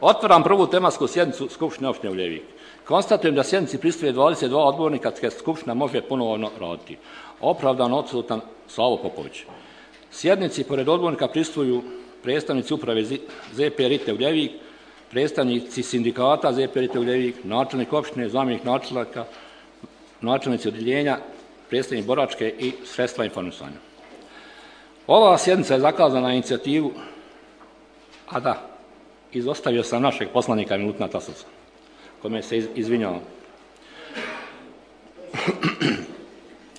Otvaram prvu tematsku sjednicu Skupštine opštine Uljevik. Konstatujem da sjednici prisustvuje 22 odbornika, te Skupština može ponovno raditi. Opravdano odsutan Slavo Popović. Sjednici pored odbornika prisustvuju predstavnici uprave ZP Rite Uljevik, predstavnici sindikata ZP Rite Uljevik, načelnik opštine, zamjenik načelnika, načelnici odjeljenja, predstavnik boračke i sredstva informisanja. Ova sjednica je zakazana na inicijativu, a da, izostavio sam našeg poslanika Milutina Tasovca, kome se izvinjavam.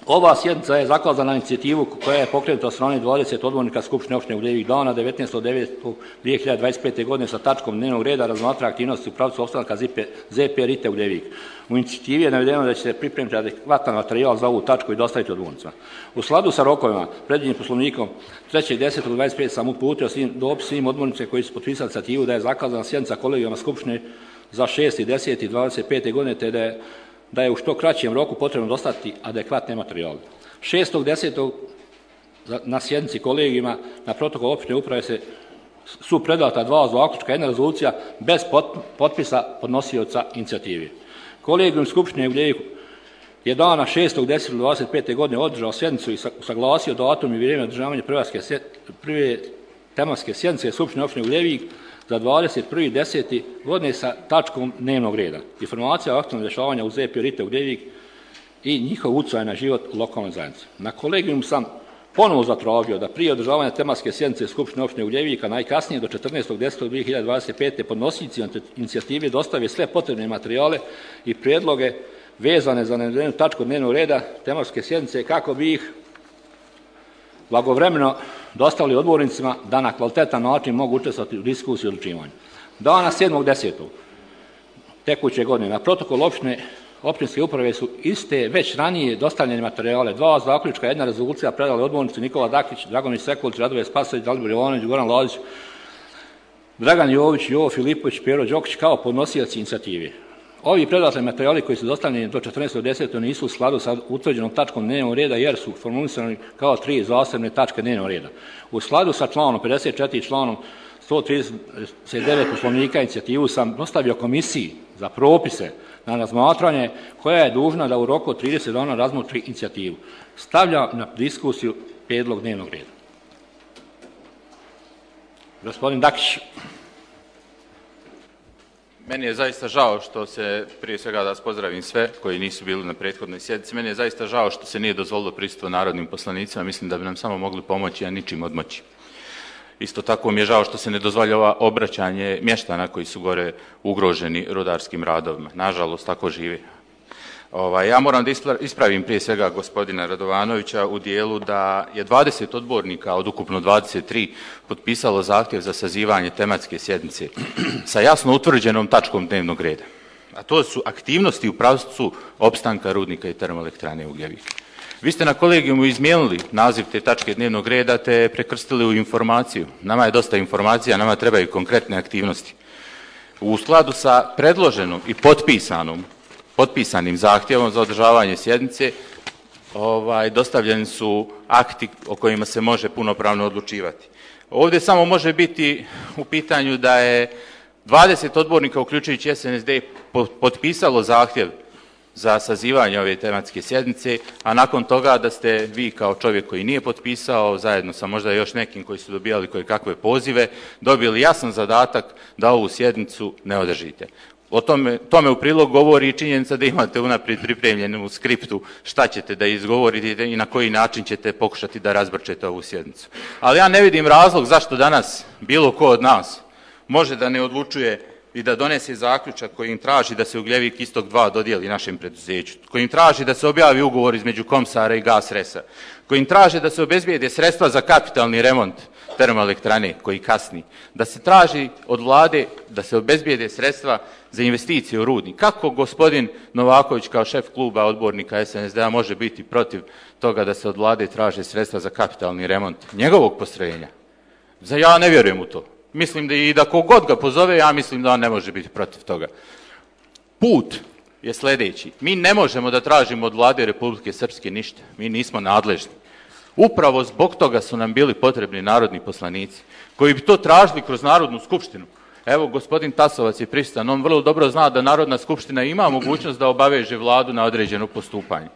Ova sjednica je zakazana na inicijativu koja je pokrenuta od strane 20 odbornika Skupštine opštine Uljevik dana 19.9.2025. godine sa tačkom dnevnog reda razmatra aktivnosti u pravcu opstanka ZP Rite Uljevik. U inicijativi je navedeno da će se pripremiti adekvatan materijal za ovu tačku i dostaviti odbornicima. U skladu sa rokovima predviđenim Poslovnikom 3.10.25 sam uputio dopis svim odbornicima koji su potpisali inicijativu da je zakazana sjednica kolegijuma Skupštine za 6.10.25. godine te da je u što kraćem roku potrebno dostaviti adekvatne materijale. 6.10. na sjednici kolegijuma na protokol opštine uprave su predata 2 zaključka, 1 rezolucija bez potpisa podnosioca inicijative. Kolegijum Skupštine Uljevik je dana 6.10.25. godine održao sjednicu i usaglasio datum i vrijeme održavanja prve tematske sjednice Skupštine opštine Uljevik za 21.10. godine sa tačkom dnevnog reda. Informacija o aktualnom dešavanju u ZP Rite Uljevik i njihov utjecaj na život lokalne zajednice. Na kolegijum sam ponovo zatražio da prije održavanja tematske sjednice Skupštine opštine Uljevika najkasnije do 14.10.2025. podnosioci inicijative dostave sve potrebne materijale i prijedloge vezane za navedenu tačku dnevnog reda tematske sjednice kako bi ih blagovremeno dostavili odbornicima da na kvalitetan način mogu učestvovati u diskusiji i odlučivanju. Dana 7.10. tekuće godine na protokol općinske uprave su iste već ranije dostavljene materijale, 2 zaključka, 1 rezolucija predali odbornici Nikola Dakić, Dragomir Sekulić, Radoje Spasović, Dalibor Jovanović, Goran Lazić, Dragan Jović, Jovo Filipović, Pero Đokić kao podnosioci inicijative. Ovi predmetni materijali koji su dostavljeni do 14.10. nisu u skladu sa utvrđenom tačkom dnevnog reda jer su formulisani kao 3 zasebne tačke dnevnog reda. U skladu sa članom 54 i članom 139 Poslovnika inicijativu sam dostavio komisiji za propise na razmatranje koja je dužna da u roku od 30 dana razmotri inicijativu. Stavlja na diskusiju prijedlog dnevnog reda. Gospodin Dakić. Meni je zaista žao što se, prije svega da vas pozdravim sve koji nisu bili na prethodnoj sjednici, meni je zaista žao što se nije dozvolilo prisustvo narodnim poslanicima, mislim da bi nam samo mogli pomoći, a ničim odmoći. Isto tako mi je žao što se ne dozvoljava obraćanje mještana koji su gore ugroženi rudarskim radovima. Nažalost, tako živi. Ja moram da ispravim prije svega gospodina Radovanovića u dijelu da je 20 odbornika od ukupno 23 potpisalo zahtjev za sazivanje tematske sjednice sa jasno utvrđenom tačkom dnevnog reda. A to su aktivnosti u pravcu opstanka rudnika i termoelektrane Uljevik. Vi ste na kolegijumu izmijenili naziv te tačke dnevnog reda te prekrstili u informaciju. Nama je dosta informacija, nama trebaju konkretne aktivnosti. U skladu sa predloženom i potpisanim zahtjevom za održavanje sjednice dostavljeni su akti o kojima se može punopravno odlučivati. Ovdje samo može biti u pitanju da je 20 odbornika, uključujući SNSD, potpisalo zahtjev za sazivanje ove tematske sjednice, a nakon toga da ste vi kao čovjek koji nije potpisao, zajedno sa možda još nekim koji su dobijali koje kakve pozive, dobili jasan zadatak da ovu sjednicu ne održite. Tome u prilog govori i činjenica da imate unaprijed pripremljenu u skriptu šta ćete da izgovorite i na koji način ćete pokušati da razbrčete ovu sjednicu. Ali ja ne vidim razlog zašto danas bilo ko od nas može da ne odlučuje i da donese zaključak kojim traži da se Ugljevik Istok 2 dodijeli našem preduzeću, kojim traži da se objavi ugovor između Komsara i Gasresa, kojim traži da se obezbijede sredstva za kapitalni remont termoelektrane koji kasni, da se traži od vlade da se obezbijede sredstva za investicije u rudnik. Kako gospodin Novaković kao šef kluba odbornika SNSD-a može biti protiv toga da se od vlade traže sredstva za kapitalni remont njegovog postrojenja? Ja ne vjerujem u to. Mislim da kogod ga pozove, ja mislim da on ne može biti protiv toga. Put je sljedeći. Mi ne možemo da tražimo od vlade Republike Srpske ništa. Mi nismo nadležni. Upravo zbog toga su nam bili potrebni narodni poslanici koji bi to tražili kroz Narodnu skupštinu. Evo, gospodin Tasovac je prisutan, on vrlo dobro zna da Narodna skupština ima mogućnost da obaveže vladu na određeno postupanje.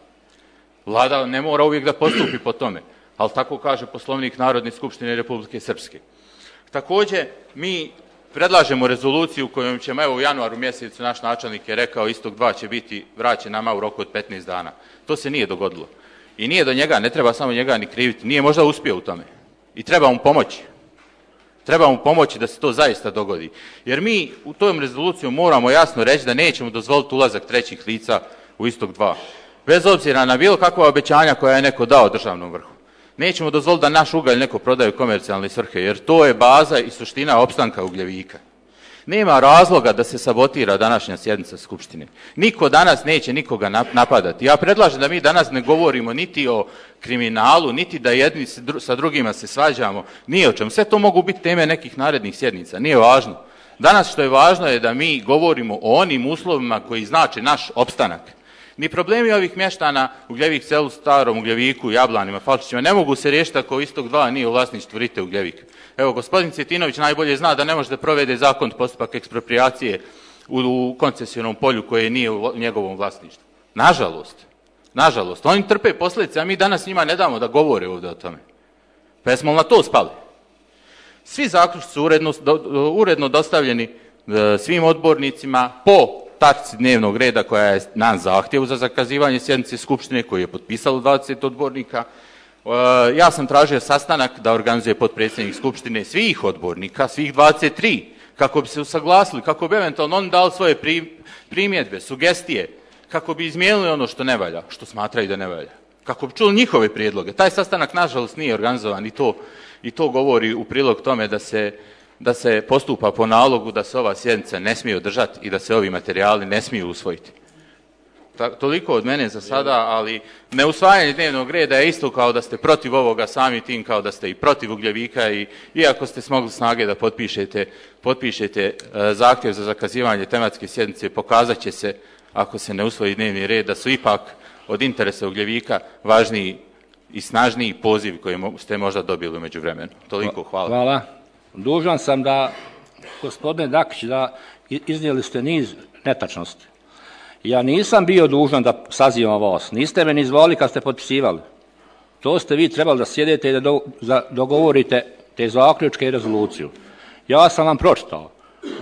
Vlada ne mora uvijek da postupi po tome, ali tako kaže Poslovnik Narodne skupštine Republike Srpske. Također, mi predlažemo rezoluciju kojom ćemo, evo u januaru mjesecu naš načelnik je rekao Istok 2 će biti vraćen nama u roku od 15 dana. To se nije dogodilo. I nije do njega, ne treba samo njega ni kriviti, nije možda uspio u tome. I treba mu pomoći. Treba mu pomoći da se to zaista dogodi. Jer mi u tom rezolucijom moramo jasno reći da nećemo dozvoliti ulazak trećih lica u Istok 2. Bez obzira na bilo kakva obećanja koja je neko dao državnom vrhu. Nećemo dozvoliti da naš ugalj neko prodaje u komercijalne svrhe, jer to je baza i suština opstanka Ugljevika. Nema razloga da se sabotira današnja sjednica Skupštine. Niko danas neće nikoga napadati. Ja predlažem da mi danas ne govorimo niti o kriminalu, niti da jedni sa drugima se svađamo, ni o čemu. Sve to mogu biti teme nekih narednih sjednica, nije važno. Danas što je važno je da mi govorimo o onim uslovima koji znače naš opstanak. Ni problemi ovih mještana Ugljevik selu, Starom Ugljeviku, Jablanima, Falčićima ne mogu se riješiti ako Istok 2 nije u vlasništvu Rite Ugljevika. Evo, gospodin Cvjetinović najbolje zna da ne može da provede zakon postupak eksproprijacije u koncesionom polju koje nije u njegovom vlasništvu. Nažalost, oni trpe posljedice, a mi danas njima ne damo da govore ovdje o tome. Pa jesmo na to spali? Svi zaključci su uredno dostavljeni svim odbornicima po tačci dnevnog reda koja je na zahtjevu za zakazivanje sjednice Skupštine koji je potpisalo 20 odbornika. Ja sam tražio sastanak da organizuje potpredsjednik Skupštine svih odbornika, svih 23, kako bi se usaglasili, kako bi eventualno oni dali svoje primjedbe, sugestije, kako bi izmijenili ono što ne valja, što smatraju da ne valja, kako bi čuli njihove prijedloge. Taj sastanak, nažalost, nije organizovan i to govori u prilog tome da se postupa po nalogu da se ova sjednica ne smije održati i da se ovi materijali ne smiju usvojiti. Toliko od mene za sada, ali neusvajanje dnevnog reda je isto kao da ste protiv ovoga, sami tim kao da ste i protiv Ugljevika i iako ste smogli snage da potpišete zahtjev za zakazivanje tematske sjednice, pokazat će se, ako se ne usvoji dnevni red, da su ipak od interesa Ugljevika važniji i snažniji poziv koji ste možda dobili u međuvremenu. Toliko, hvala. Hvala. Dužan sam da, gospodine Dakić, da iznijeli ste niz netačnosti. Ja nisam bio dužan da sazivam vas. Niste me ni zvali kad ste potpisivali. To ste vi trebali da sjedete i da dogovorite te zaključke i rezoluciju. Ja sam vam pročitao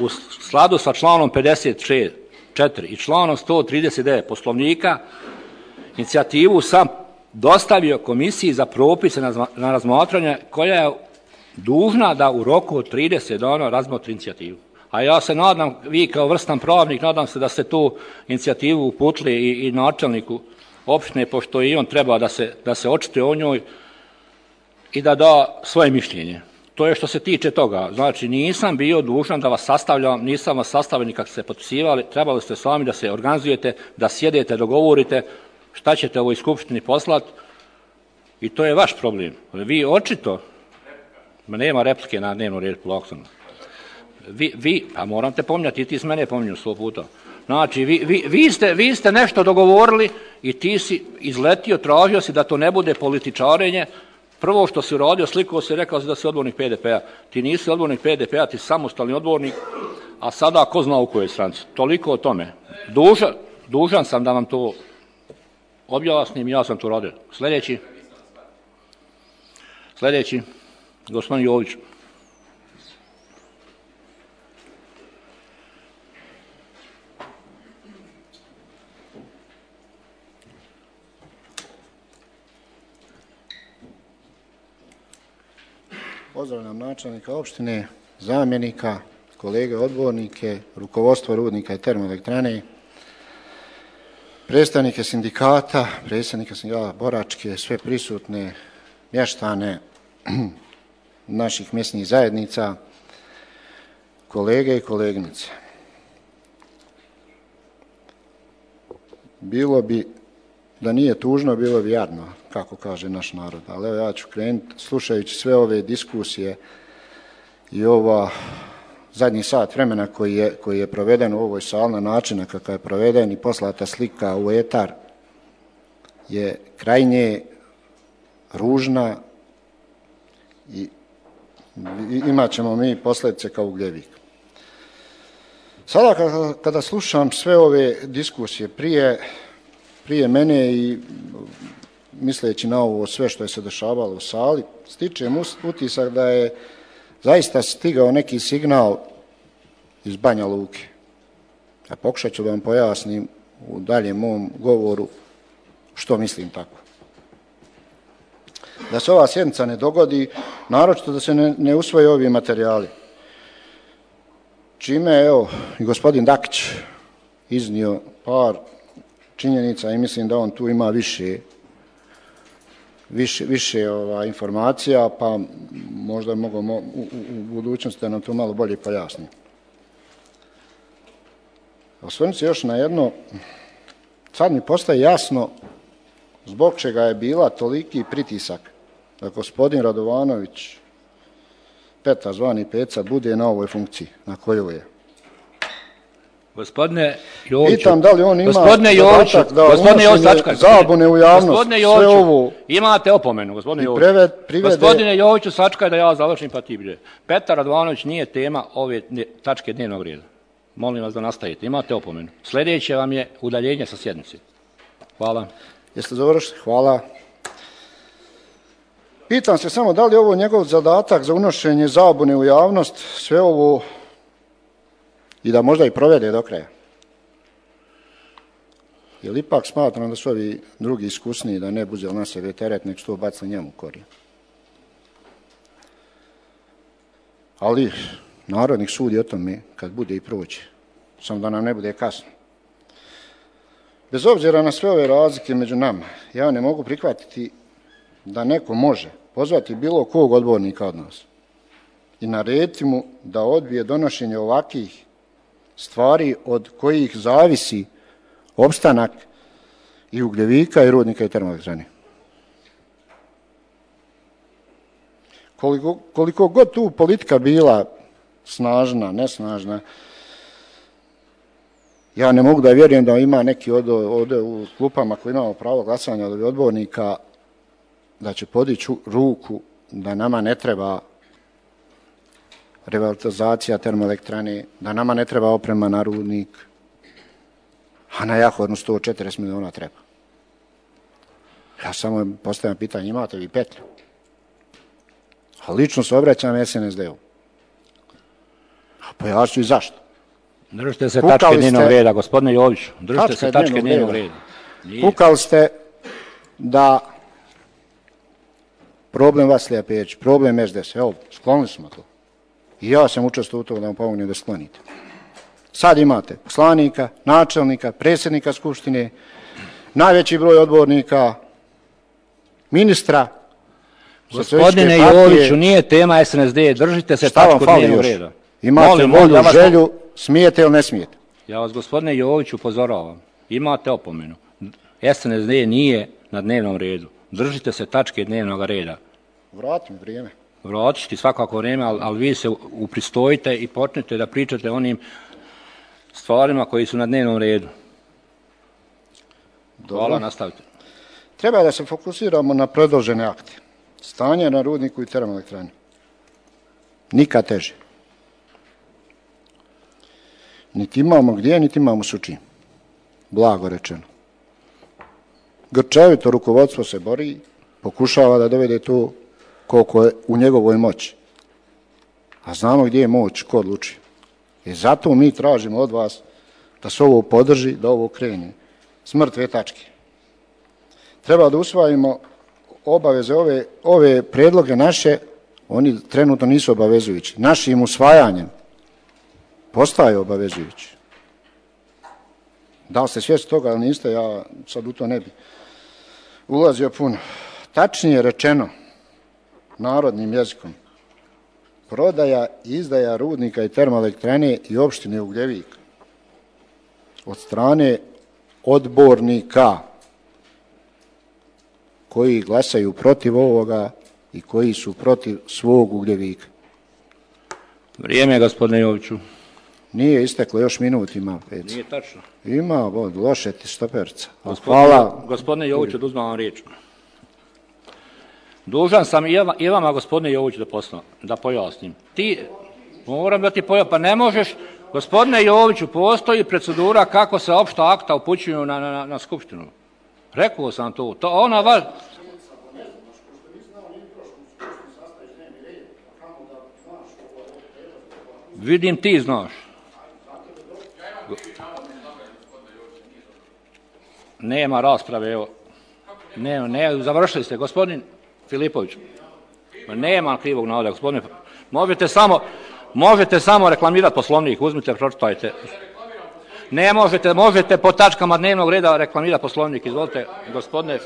u skladu sa članom 56.4 i članom 139 Poslovnika inicijativu sam dostavio komisiji za propise na razmatranje koja je dužna da u roku od 30 dana razmotri inicijativu. A ja se nadam, vi kao vrstan pravnik, nadam se da ste tu inicijativu uputili i načelniku opštine, pošto i on treba da se očituje o njoj i da da svoje mišljenje. To je što se tiče toga. Znači, nisam bio dužan da vas sastavljam, nisam vas sastavljeni kako ste potpisivali, trebali ste sami da se organizujete, da sjedete, dogovorite šta ćete ovoj skupštini poslati i to je vaš problem. Vi očito, nema replike na dnevnu redu, polaksom. Pa moram te pominjati i ti s mene pominju 100 puta. Znači, vi ste nešto dogovorili i ti si izletio, tražio si da to ne bude političarenje. Prvo što si uradio, slikao si, rekao si da si odbornik PDP-a. Ti nisi odbornik PDP-a, ti si samostalni odbornik, a sada ko zna u kojoj stranci. Toliko o tome. Dužan sam da vam to objasnim, ja sam to radio. Sljedeći, gospodin Jović. Pozdravljam načelnika opštine, zamjenika, kolege odbornike, rukovodstvo rudnika i termoelektrane, predstavnike sindikata, predsjednika sindikata boračke, sve prisutne mještane naših mjesnih zajednica, kolege i koleginice. Bilo bi, da nije tužno, bilo bi jadno, kako kaže naš narod. Ali evo ja ću krenuti, slušajući sve ove diskusije i ova zadnji sat vremena koji je proveden u ovoj sali na način kakav je proveden i poslata slika u etar je krajnje ružna i imat ćemo mi posljedice kao Ugljevik. Sada kada slušam sve ove diskusije prije mene i misleći na ovo sve što je se dešavalo u sali, stičem utisak da je zaista stigao neki signal iz Banja Luke. A pokušat ću da vam pojasnim u daljem mom govoru što mislim tako. Da se ova sjednica ne dogodi, naročito da se ne usvoje ovi materijali. Čime je, evo, i gospodin Dakić iznio par činjenica i mislim da on tu ima više informacija, pa možda mogu u budućnosti da nam to malo bolje pojasni. Osvrnuti se još na jedno, sad mi postaje jasno zbog čega je bila toliki pritisak da gospodin Radovanović, Petar zvani Peca, bude na ovoj funkciji na kojoj je. Gospodine Joviću, pitam da li on ima zadatak da unošenje zabune u javnost, sve ovo... Imate opomenu, gospodine Joviću. Gospodine Joviću, sačkaj da ja završim pa ti bilje. Petar Radovanović nije tema ove tačke dnevnog reda. Molim vas da nastavite. Imate opomenu. Sljedeće vam je udaljenje sa sjednice. Hvala. Jeste završili? Hvala. Pitam se samo da li je ovo njegov zadatak za unošenje zabune u javnost, sve ovo i da možda i provede do kraja. Jer ipak smatram da su ovi drugi iskusniji, da ne bude na sebe teret, nek što baci njemu korijen. Ali Narodnik sudi o tome kad bude i proći, samo da nam ne bude kasno. Bez obzira na sve ove razlike među nama, ja ne mogu prihvatiti da neko može pozvati bilo kog odbornika od nas i narediti mu da odbije donošenje ovakvih stvari od kojih zavisi opstanak i Ugljevika i Rudnika i termoelektrane. Koliko god tu politika bila snažna, nesnažna, ja ne mogu da vjerujem da ima neki ovdje u klupama koji imamo pravo glasanja od odbornika da će podići ruku da nama ne treba revitalizacija termoelektrane, da nama ne treba oprema na Rudnik, a na Jahodnu 140 miliona treba. Ja samo postavljam pitanje, imate vi petlju? A lično se obraćam SNSD-u. A pojasnju i zašto. Držite se tačke dnevnog reda, gospodine Joviću. Držite se tačke dnevnog reda. Kukali ste da problem Vasilija Perić, problem SDS, evo, sklonili smo to. I ja sam učestvovao u to da vam pomognem da sklonite. Sad imate poslanika, načelnika, predsjednika Skupštine, najveći broj odbornika, ministra. Gospodine Joviću, nije tema SNSD, držite se tačku dnevnog reda. Imate volju, želju, smijete ili ne smijete? Ja vas, gospodine Joviću, upozoravam. Imate opomenu. SNSD nije na dnevnom redu. Držite se tačke dnevnog reda. Vrati mi vrijeme. Vratit ću svakako vrijeme, ali vi se upristojite i počnete da pričate o onim stvarima koji su na dnevnom redu. Hvala, nastavite. Treba da se fokusiramo na predložene akte. Stanje na Rudniku i termoelektrani. Nikad teže. Niti imamo gdje, niti imamo s čim. Blago rečeno. Grčevito rukovodstvo se bori, pokušava da dovede to koliko je u njegovoj moći. A znamo gdje je moć, ko odluči. I zato mi tražimo od vas da se ovo podrži, da ovo krene. S mrtve tačke. Treba da usvajimo obaveze, ove predloge naše, oni trenutno nisu obavezujući. Našim usvajanjem postaju obavezujući. Da li ste svjesni toga, ali niste, ja sad u to ne bi ulazio puno. Tačnije rečeno, narodnim jezikom, prodaja i izdaja Rudnika i termoelektrane i opštine Ugljevik od strane odbornika koji glasaju protiv ovoga i koji su protiv svog Ugljevika. Vrijeme, gospodine Joviću. Nije isteklo, još minut ima. Nije tačno. Ima, loše ti stoperca. Hvala. Gospodine Joviću, da uzmem vam riječ. Dužan sam i vama, gospodine Joviću, da pojasnim. Moram da ti pojasnim, pa ne možeš Gospodine Joviću, postoji procedura kako se opšta akta upućuju na skupštinu. Rekao sam to. Ona vas... Vidim ti znaš. Nema rasprave, evo. Ne, završili ste, gospodin Filipović. Nema krivog navoda, gospodine. Možete samo reklamirati Poslovnik, uzmite, pročitajte. Ne možete po tačkama dnevnog reda reklamirati Poslovnik, izvolite, gospodine.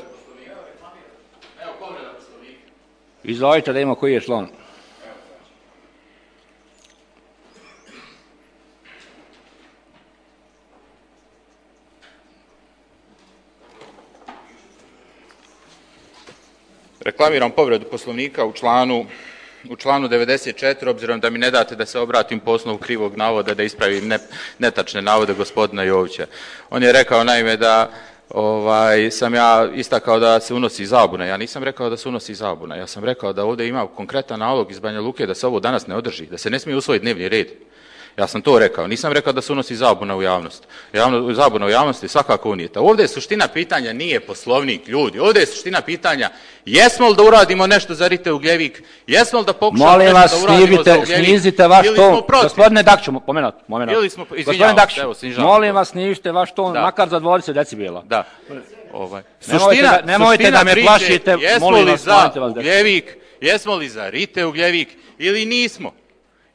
Izvolite da imamo koji je član. Reklamiram povredu Poslovnika u članu 94, obzirom da mi ne date da se obratim po osnovu krivog navoda, da ispravim netačne navode gospodina Jovića. On je rekao naime da sam ja istakao da se unosi zabuna. Ja nisam rekao da se unosi zabuna. Ja sam rekao da ovdje ima konkretan nalog iz Banja Luke da se ovo danas ne održi, da se ne smije usvojiti dnevni red. Ja sam to rekao. Nisam rekao da se unosi zabuna u javnost. Zabuna u javnosti je svakako unijeta. Ovdje je suština pitanja nije Poslovnik, ljudi. Ovdje je suština pitanja jesmo li da uradimo nešto za Rite Ugljevik, jesmo li da pokušamo nešto da uradimo za Ugljevik, snizite vaš ton. Gospodine Dakću, moment. Gospodine Dakću, molim vas, snizite vaš ton, makar za 20 decibela. Da. Nemojte da me plašite, molim vas, jesmo li za Rite Ugljevik ili nismo?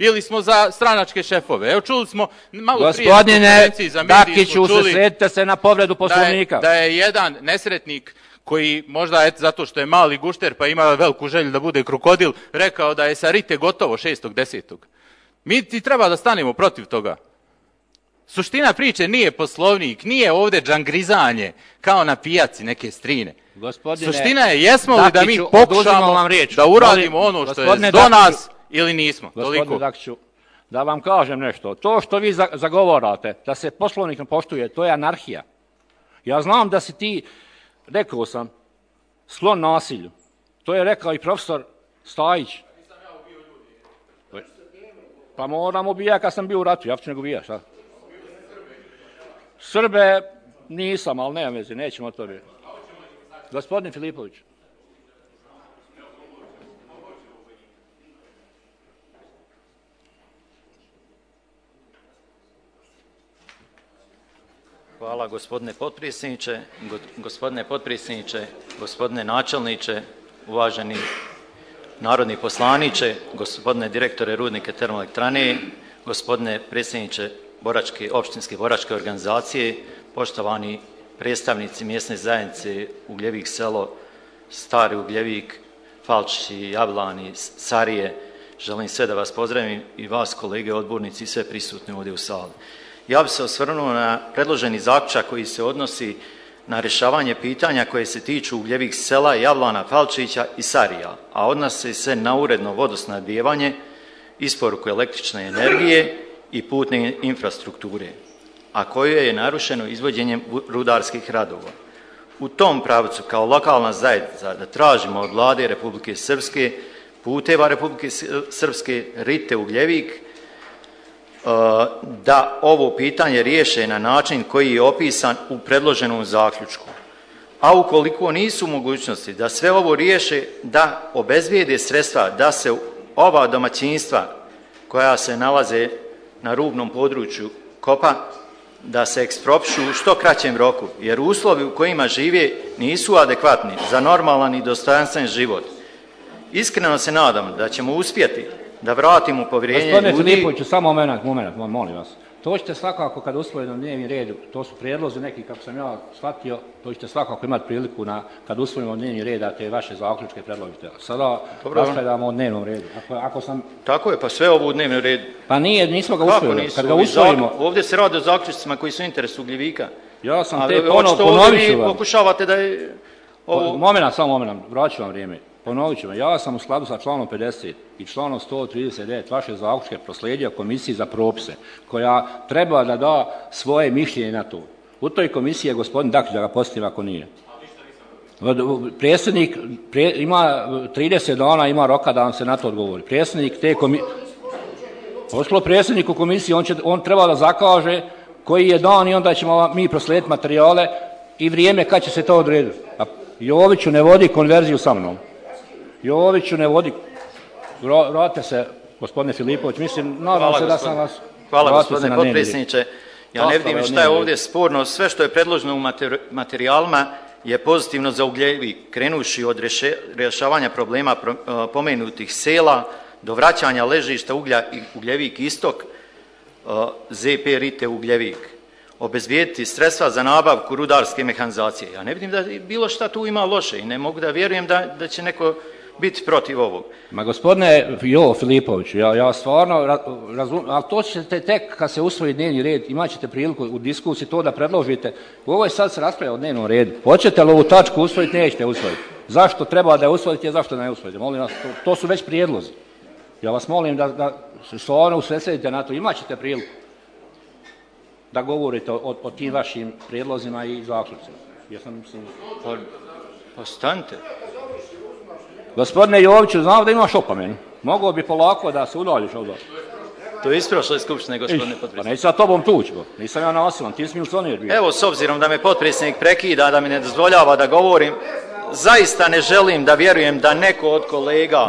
Ili smo za stranačke šefove. Evo čuli smo malo prije. Gospodine Dakiću, usredsredite se na povredu Poslovnika. Da je jedan nesretnik koji možda zato što je mali gušter pa ima veliku želju da bude krokodil, rekao da je sa Rite gotovo 6.10. Mi ti treba da stanemo protiv toga. Suština priče nije Poslovnik, nije ovdje džangrizanje kao na pijaci neke strine. Suština je jesmo li da mi pokušamo da uradimo ono što je do nas ili nismo. Gospodine Dakiću, da vam kažem nešto. To što vi zagovarate, da se Poslovnik ne poštuje, to je anarhija. Ja znam da si ti, rekao sam, sklon nasilju. To je rekao i profesor Stajić. Pa moram ubijati kad sam bio u ratu, ja ću nego ubijati, šta? Srbe nisam, ali nema veze, nećemo o tome. Gospodin Filipović. Hvala gospodine potpredsjedniče, gospodine načelniče, uvaženi narodni poslaniče, gospodine direktore Rudnika termoelektrane, gospodine predsjedniče opštinske boračke organizacije, poštovani predstavnici mjesne zajednice Ugljevik selo, Stari Ugljevik, Falčići, Jablani, Sarije, želim sve da vas pozdravim i vas kolege odbornici i sve prisutne ovdje u sali. Ja bih se osvrnuo na predloženi zaključak koji se odnosi na rješavanje pitanja koje se tiču Ugljevik sela, Javlana, Falčića i Sarija, a odnose se na uredno vodosnabdijevanje, isporuku električne energije i putne infrastrukture, a koje je narušeno izvođenjem rudarskih radova. U tom pravcu kao lokalna zajednica da tražimo od Vlade Republike Srpske, puteva Republike Srpske, Rite Ugljevik, da ovo pitanje riješe na način koji je opisan u predloženom zaključku. A ukoliko nisu mogućnosti da sve ovo riješe, da obezbijede sredstva, da se ova domaćinstva koja se nalaze na rubnom području kopa, da se eksproprišu u što kraćem roku, jer uslovi u kojima žive nisu adekvatni za normalan i dostojanstven život. Iskreno se nadam da ćemo uspjeti da vratimo povjerenje ljudi. Gospodine Filipoviću, samo moment, molim vas. To ćete svakako kad usvojimo dnevni red, to su prijedlozi neki, kako sam ja shvatio, to ćete svakako imati priliku kad usvojimo dnevni red, da te vaše zaključke predložite. Sada raspravljamo o dnevnom redu. Ako sam... Tako je, pa sve ovo u dnevnom redu. Pa nismo ga usvojili. Kad ga usvojimo... Ovdje se radi o zaključcima koji su u interesu Ugljevika. Ja sam te ponovit ću vam. Pokušavate da je... Moment, vraću vam vrijeme. Ponovit ću vam, ja sam u skladu sa članom 50 i članom 139 vaše zaključke proslijedio komisiji za propise, koja treba da da svoje mišljenje na to. U toj komisiji je gospodin Dakić, da ga podsjetim ako nije. Predsjednik ima 30 dana, ima roka da vam se na to odgovori. Predsjednik te komisije... Pošlo predsjedniku komisije, on treba da zakaže koji je dan i onda ćemo mi proslijediti materijale i vrijeme kad će se to odrediti. A Joviću ne vodi konverziju sa mnom. Joviću ne vodi. Vratite se, gospodine Filipović. Mislim, nadam se da sam vas... Hvala, gospodine potpredsjedniče. Ja ne vidim šta je ovdje sporno. Sve što je predloženo u materijalima je pozitivno za Ugljevik, krenuši od rješavanja problema pomenutih sela do vraćanja ležišta Ugljevik istok, ZP Rite Ugljevik. Obezbijediti sredstva za nabavku rudarske mehanizacije. Ja ne vidim da bilo šta tu ima loše i ne mogu da vjerujem da će neko biti protiv ovog. Ma gospodine Filipoviću, ja stvarno razumijem, ali to ćete tek kad se usvoji dnevni red, imat ćete priliku u diskusiji to da predložite. Ovo je sad se raspravlja o dnevnom redu. Hoćete li ovu tačku usvojiti, nećete usvojiti. Zašto treba da je usvojite, a zašto ne usvojite? Molim vas, to su već prijedlozi. Ja vas molim da se stvarno usredsredite na to, imat ćete priliku da govorite o tim vašim prijedlozima i zaključcima. Pa stanite. Gospodine Joviću, znam da imaš opomenu. Mogao bi polako da se udaljiš ovdje. To je isprošlo iz skupštine, gospodine potpredsjedniče. Pa neću sa tobom tući, nisam ja nasilan, ti si milcionir bio. Evo, s obzirom da me potpredsjednik prekida, da mi ne dozvoljava da govorim, zaista ne želim da vjerujem da neko od kolega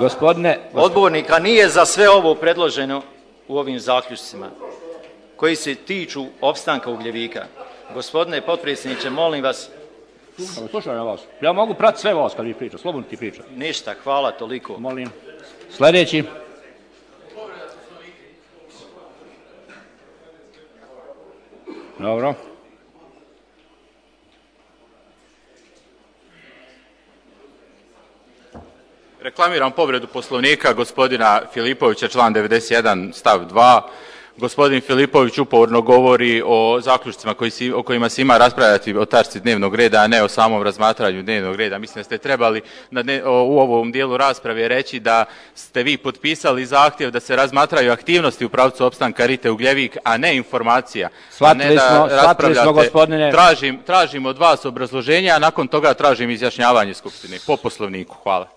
odbornika nije za sve ovo predloženo u ovim zaključcima koji se tiču opstanka Ugljevika. Gospodine potpredsjedniče, molim vas... Slušaj na vas. Ja mogu pratiti sve vas kad vi pričate, slobodno ti pričate. Ništa, hvala toliko. Molim. Sljedeći. Dobro. Reklamiram povredu Poslovnika gospodina Filipovića, član 91 stav 2. Gospodin Filipović uporno govori o zaključcima o kojima se ima raspravljati o tačci dnevnog reda, a ne o samom razmatranju dnevnog reda. Mislim da ste trebali u ovom dijelu rasprave reći da ste vi potpisali zahtjev da se razmatraju aktivnosti u pravcu opstanka Rite Ugljevik, a ne informacija. Shvatili smo, gospodine. Tražim od vas obrazloženja, a nakon toga tražim izjašnjavanje Skupštine po Poslovniku. Hvala.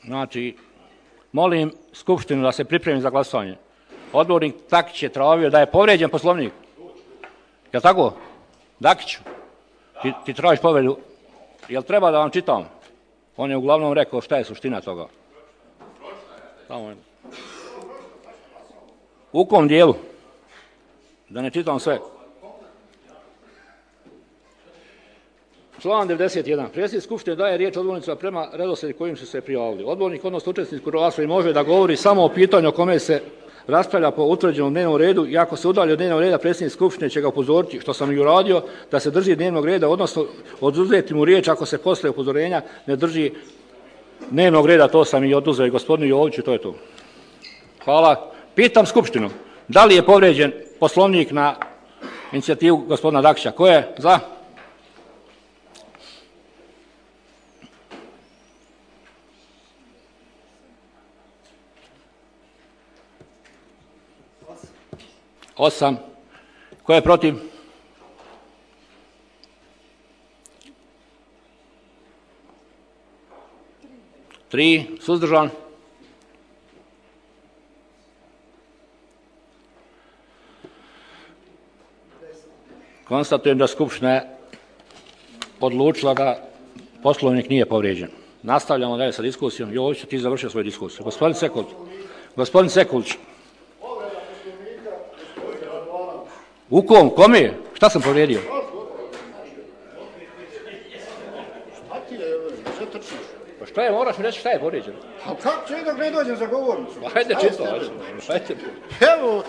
Znači, molim Skupštinu da se pripremi za glasovanje. Odbornik Dakić je tražio da je povrijeđen Poslovnik. Jel' tako? Dakiću, ti tražiš povredu. Jel' treba da vam čitam? On je uglavnom rekao šta je suština toga. U kom dijelu? Da ne čitam sve. Član 91. Predsjednik Skupštine daje riječ odbornicima prema redoslijedu kojim su se prijavili. Odbornik, odnosno učesnik u raspravi, može da govori samo o pitanju o kome se raspravlja po utvrđenom dnevnom redu i ako se udalji od dnevnog reda, predsjednik Skupštine će ga upozoriti, što sam i uradio, da se drži dnevnog reda, odnosno oduzeti mu riječ ako se posle upozorenja ne drži dnevnog reda. To sam i oduzeo i gospodinu Joviću, to je to. Hvala. Pitam Skupštinu, da li je povrijeđen Poslovnik na inicijativu gospodina Dakića? Ko je za? Osam. Ko je protiv? Tri. Suzdržan? Konstatujem da Skupština je odlučila da Poslovnik nije povrijeđen. Nastavljamo dalje sa diskusijom. Joviću, ti završio svoju diskusiju. Gospodin Sekulić. U kom? Kome? Šta sam povrijedio? Pa šta je, moraš mi reći šta je povrijeđeno? A kako će dok ne dođem za govornicu? Hajde čisto, hajde. Evo,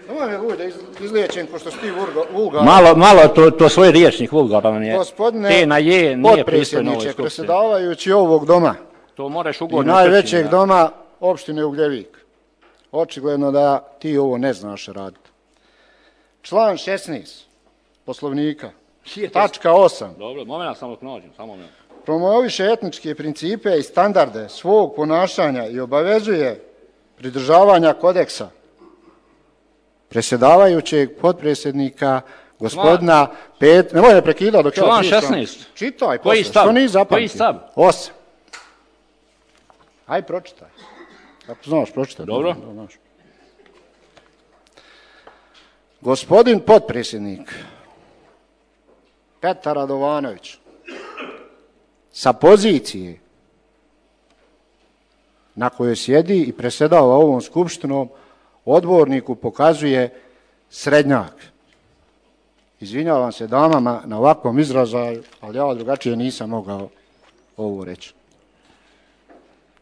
nemoj me guj da izliječim, pošto si ti vulgar. Malo to svoj riječnik vulgaran je. Gospodine potpredsjedniče, predsjedavajući ovog doma to moraš i ugodno najvećeg doma opštine Ugljevik, očigledno da ti ovo ne znaš raditi. Član 16 Poslovnika, tačka 8. Dobro, moment, samo nađem, samo moment. Promoviše etničke principe i standarde svog ponašanja i obavezuje pridržavanja kodeksa predsjedavajućeg potpredsjednika gospodina nemoj me prekidati dok član 16. Čitaj, koji stav? Što nisi zapamtio? Koji stav? 8. Aj pročitaj. Ako znaš, pročitaj. Dobro. Gospodin potpredsjednik Petar Radovanović sa pozicije na kojoj sjedi i predsjedava ovom skupštinom odborniku pokazuje srednjak. Izvinjavam se damama na ovakvom izražaju, ali ja drugačije nisam mogao ovo reći.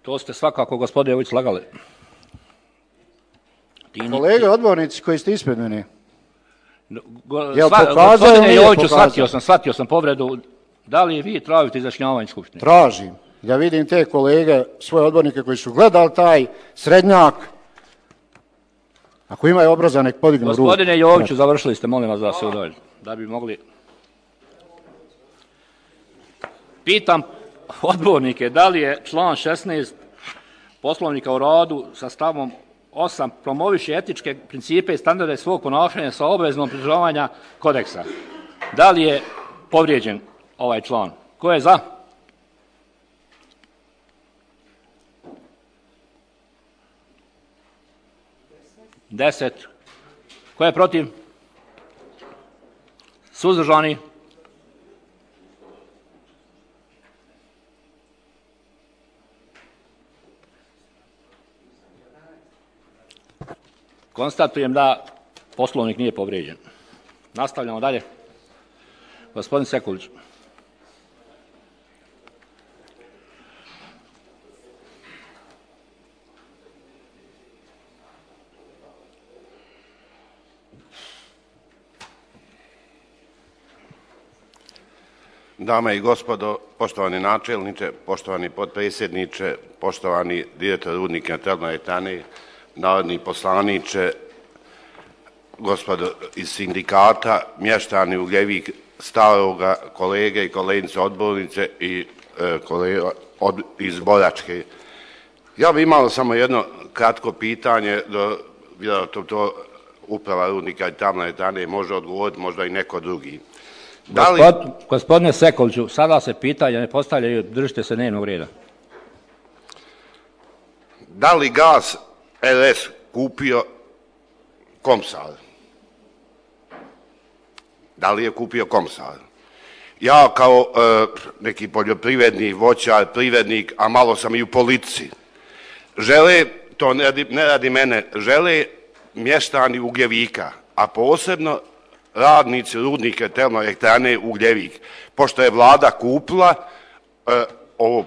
To ste svakako, gospodine Jović, slagali. Kolege odbornici koji ste ispred mene. Gospodine Joviću, shvatio sam povredu. Da li vi tražite izjašnjavanje skupštine? Tražim. Ja vidim te kolege, svoje odbornike koji su gledali taj srednjak. Ako imaju obraza, nek podignu ruku. Gospodine Joviću, završili ste, molim vas da se udovoljite. Da bi mogli... Pitam odbornike, da li je član 16 Poslovnika o radu sa stavom 8 promoviše etičke principe i standarde svog ponašanja sa obaveznom pridržavanja kodeksa. Da li je povrijeđen ovaj član? Ko je za? Deset. Ko je protiv? Suzdržani? Konstatujem da Poslovnik nije povrijeđen. Nastavljamo dalje. Gospodin Sekulić. Dame i gospodo, poštovani načelniče, poštovani potpredsjedniče, poštovani direktor Rudnika termoelektrane, narodni poslaniče, gospodo iz sindikata, mještani Ugljevik, Staroga, kolege i kolegice odbornice i kolega iz Boračke. Ja bih imao samo jedno kratko pitanje, vjerojatno to uprava Rudnika termoelektrane može odgovoriti, možda i neko drugi. Gospodine Sekuliću, sada se pitanja ne postavljaju, držite se dnevnog reda. Da li Gas RS kupio Komsar? Da li je kupio Komsar? Ja kao neki poljoprivrednik, voćar, privrednik, a malo sam i u politici, žele, to ne radi mene, žele mještani Ugljevika, a posebno radnici Rudnika termoelektrane Ugljevik, pošto je vlada kupila ovo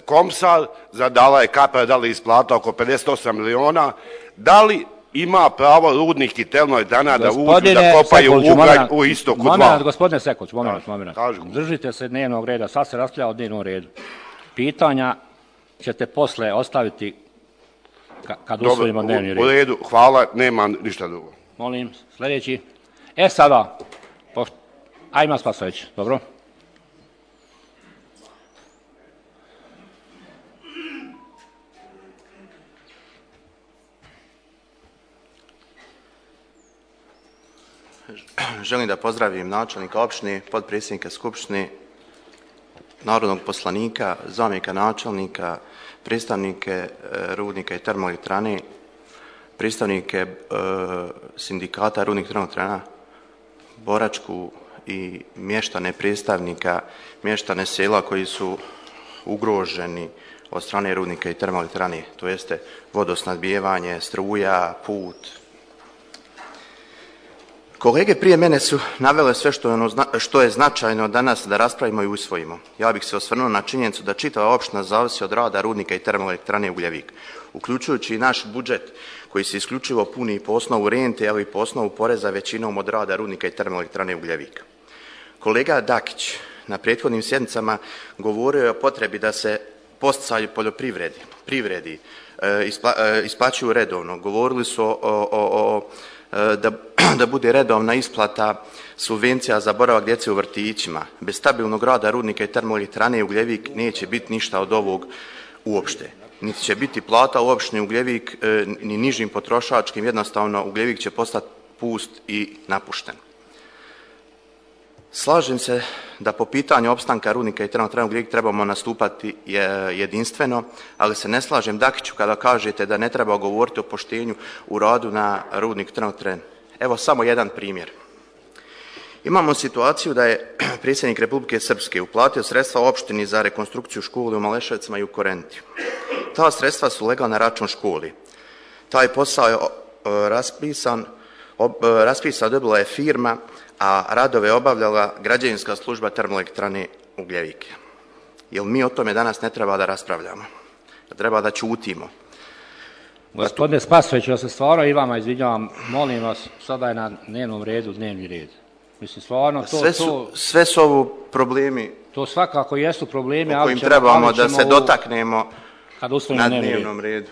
Komsar, zadala je Kapar, da li isplata oko 58 miliona, da li ima pravo Rudnik i termoelektrana da uđu, da kopaju ugalj u istoku 2? Gospodine Sekulić, moment. Držite se dnevnog reda, sad se raspravlja o dnevnom redu. Pitanja ćete posle ostaviti kad usvojimo dnevni red. U redu, hvala, nema ništa drugo. Molim, sljedeći. Sada, ajma Spasović, dobro? Želim da pozdravim načelnika opštine, potpredsjednika skupštine, narodnog poslanika, zamjenika načelnika, predstavnike Rudnika i termoelektrane, predstavnike sindikata Rudnik termoelektrana, Boračku i mještane predstavnika, mještane sela koji su ugroženi od strane Rudnika i termoelektrane, to jeste vodosnabdijevanje, struja, put. Kolege prije mene su navele sve što je značajno danas da raspravimo i usvojimo. Ja bih se osvrnuo na činjenicu da čitava opština zavisi od rada Rudnika i termoelektrane Ugljevik, uključujući i naš budžet koji se isključivo puni po osnovu rente, ali i po osnovu poreza većinom od rada Rudnika i termoelektrane Ugljevik. Kolega Dakić na prethodnim sjednicama govorio je o potrebi da se podsticaji privredi isplaćuju redovno. Govorili su da bude redovna isplata subvencija za boravak djece u vrtićima. Bez stabilnog rada Rudnika i termoelektrane Ugljevik neće biti ništa od ovog uopšte. Niti će biti plata u opštini Ugljevik ni nižim potrošačkim, jednostavno Ugljevik će postati pust i napušten. Slažem se da po pitanju opstanka Rudnika i termoelektrane Ugljevik trebamo nastupati jedinstveno, ali se ne slažem Dakiću kada kažete da ne treba govoriti o poštenju u radu na Rudniku termoelektrane. Evo samo jedan primjer. Imamo situaciju da je predsjednik Republike Srpske uplatio sredstva opštini za rekonstrukciju škole u Maleševcima i u Korentiju. Ta sredstva su legla na račun školi. Taj posao je raspisan dobila je firma, a radove obavljala građevinska služba termoelektrane Ugljevik. Jel mi o tome danas ne treba da raspravljamo? Treba da ćutimo? Gospodine Spasović, ja se stvarno i vama izvinjavam, molim vas, sada je na dnevnom redu dnevni red. Mislim, stvarno sve su ovo problemi. To svakako jesu problemi, o kojim trebamo da se dotaknemo na dnevnom redu.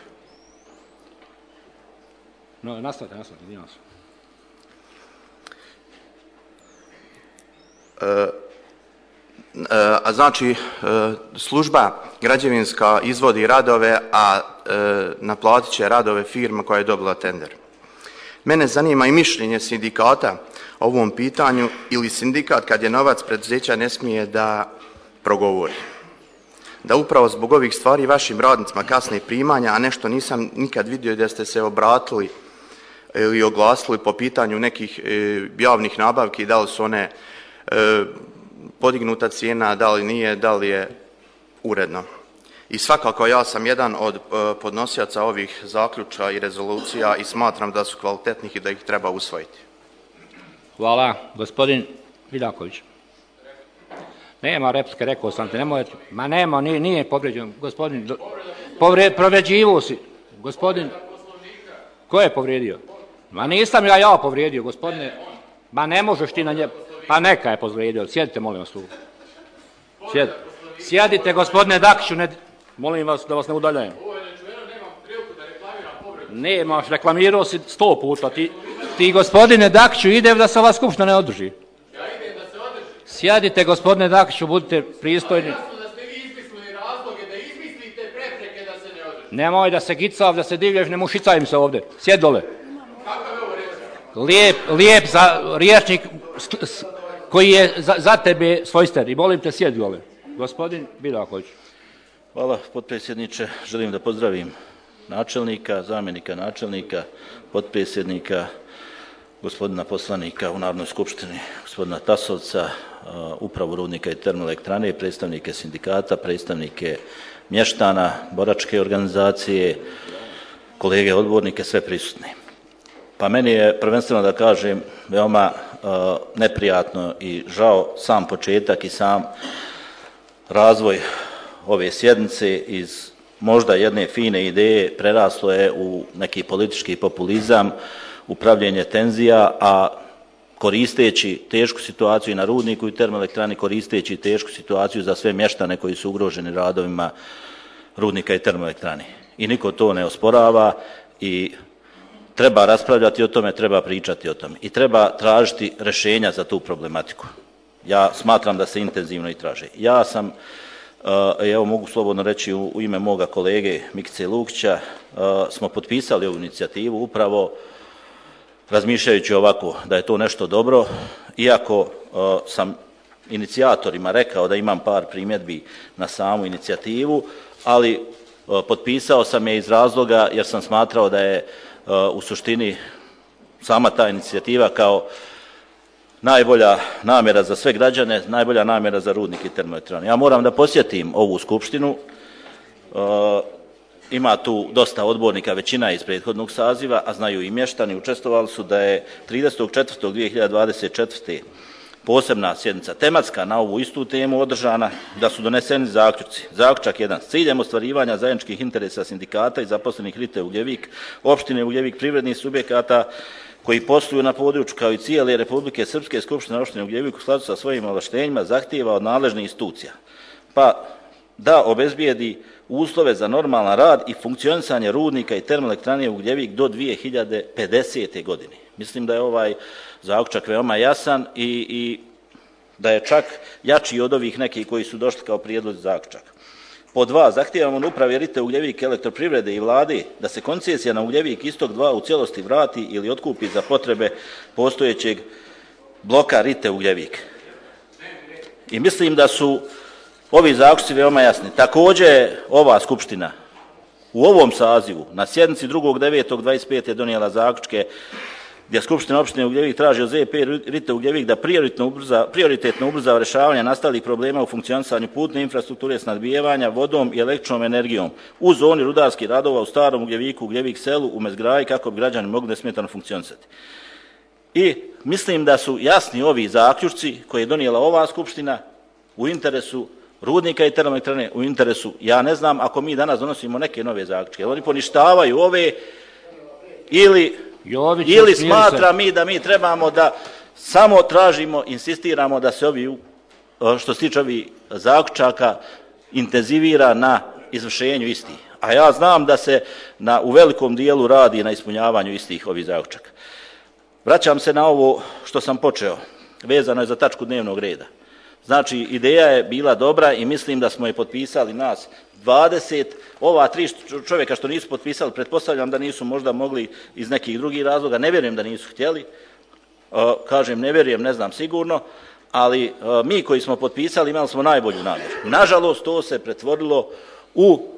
No, nastavite, izvinjavam se. A znači, služba građevinska izvodi radove, a naplatit će radove firma koja je dobila tender. Mene zanima i mišljenje sindikata o ovom pitanju, ili sindikat kad je novac preduzeća ne smije da progovori. Da upravo zbog ovih stvari vašim radnicima kasne primanja, a nešto nisam nikad vidio da ste se obratili ili oglasili po pitanju nekih javnih nabavki, da li su one podignuta cijena, da li nije, da li je uredno. I svakako ja sam jedan od podnosioca ovih zaključa i rezolucija i smatram da su kvalitetnih i da ih treba usvojiti. Hvala. Gospodin Vidaković. Nema replike, rekao sam te, nemojte. Ma nema, nije povređen. Gospodin, povređivo si. Gospodin, ko je povrijedio? Ma nisam ja povrijedio, gospodine. Ma ne možeš ti na nje. Pa neka je povrijedio. Sjedite, molim vas tu. Sjedite, gospodine Dakiću, molim vas da vas ne udaljajem. Nemaš, reklamirao si 100 puta. Ti gospodine Dakiću, ide da se ova skupština ne održi. Ja idem da se održi. Sjedite, gospodine Dakiću, budite pristojni. Jasno da ste vi izmislili razloge, da izmislite prepreke da se ne održi. Nemoj da se gicav, da se divlješ, ne mušicajim se ovdje. Sjed dole. Kakav je ovo reč? Lijep za riječnik koji je za tebe svojster. I molim te, sjed dole. Gospodin Vidaković. Hvala, potpredsjedniče. Želim da pozdravim načelnika, zamjenika načelnika, potpredsjednika, gospodina poslanika u Narodnoj skupštini, gospodina Tasovca, upravu rudnika i termoelektrane, predstavnike sindikata, predstavnike mještana, boračke organizacije, kolege odbornike, sve prisutni. Pa meni je prvenstveno da kažem veoma neprijatno i žao sam početak i sam razvoj ove sjednice iz možda jedne fine ideje preraslo je u neki politički populizam, upravljanje tenzija, a koristeći tešku situaciju i na rudniku i termoelektrani, koristeći tešku situaciju za sve mještane koji su ugroženi radovima rudnika i termoelektrani. I niko to ne osporava i treba raspravljati o tome, treba pričati o tome i treba tražiti rješenja za tu problematiku. Ja smatram da se intenzivno i traže. Ja sam, evo mogu slobodno reći u ime moga kolege Mikice Lukića, smo potpisali ovu inicijativu upravo razmišljajući ovako da je to nešto dobro, iako sam inicijatorima rekao da imam par primjedbi na samu inicijativu, ali potpisao sam je iz razloga jer sam smatrao da je u suštini sama ta inicijativa kao najbolja namjera za sve građane, najbolja namjera za rudnik i termoelektranu. Ja moram da posjetim ovu skupštinu, ima tu dosta odbornika, većina iz prethodnog saziva, a znaju i mještani, učestvovali su da je 30.4.2024. posebna sjednica tematska na ovu istu temu održana, da su doneseni zaključci. Zaključak 1. S ciljem ostvarivanja zajedničkih interesa sindikata i zaposlenih RITE Ugljevik, opštine Ugljevik, privrednih subjekata koji posluju na području kao i cijele Republike Srpske, Skupština opštine Ugljevik u skladu sa svojim ovlaštenjima zahtijeva od nadležnih institucija pa da obezbijedi uslove za normalan rad i funkcionisanje rudnika i termoelektrane Ugljevik do 2050. godine. Mislim da je ovaj zaključak veoma jasan i da je čak jači od ovih nekih koji su došli kao prijedlog zaključaka. Po 2. Zahtijevamo od uprave RITE Ugljevik, elektroprivrede i vlade da se koncesija na Ugljevik istok 2 u cijelosti vrati ili otkupi za potrebe postojećeg bloka RITE Ugljevik. I mislim da su ovi zaključci veoma jasni. Također ova skupština u ovom sazivu na sjednici 2.9.25. je donijela zaključke gdje Skupština opštine Ugljevik traži od ZP Rite Ugljevik da prioritetno ubrza rješavanje nastalih problema u funkcionisanju putne infrastrukture, snabdijevanja vodom i električnom energijom u zoni rudarskih radova u Starom Ugljeviku, Ugljevik selu, u Mezgraji, kako bi građani mogli nesmetano funkcionisati. I mislim da su jasni ovi zaključci koje je donijela ova Skupština u interesu rudnika i termoelektrane, u interesu, ja ne znam, ako mi danas donosimo neke nove zaključke, oni poništavaju ove ili smatra mi da mi trebamo da samo tražimo, insistiramo da se ovi, što se tiče ovih zaključaka, intenzivira na izvršenju istih. A ja znam da se u velikom dijelu radi na ispunjavanju istih ovih zaključaka. Vraćam se na ovo što sam počeo, vezano je za tačku dnevnog reda. Znači, ideja je bila dobra i mislim da smo je potpisali nas 20, ova 3 čovjeka što nisu potpisali, pretpostavljam da nisu možda mogli iz nekih drugih razloga, ne vjerujem da nisu htjeli, kažem ne vjerujem, ne znam sigurno, ali mi koji smo potpisali imali smo najbolju namjeru. Nažalost, to se pretvorilo u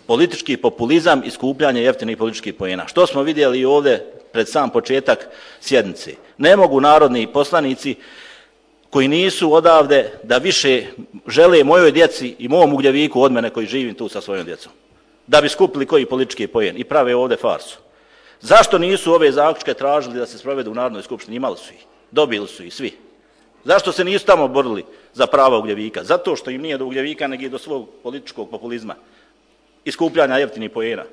politički populizam i skupljanje jeftinih političkih poena. Što smo vidjeli ovdje pred sam početak sjednice? Ne mogu narodni poslanici koji nisu odavde da više žele mojoj djeci i mom Ugljeviku od mene koji živim tu sa svojom djecom, da bi skupili koji politički poen i prave ovdje farsu. Zašto nisu ove zaključke tražili da se sprovedu u Narodnoj skupštini? Imali su ih, dobili su ih svi. Zašto se nisu tamo borili za prava Ugljevika? Zato što im nije do Ugljevika, nego i do svog političkog populizma i skupljanja jeftinih poena.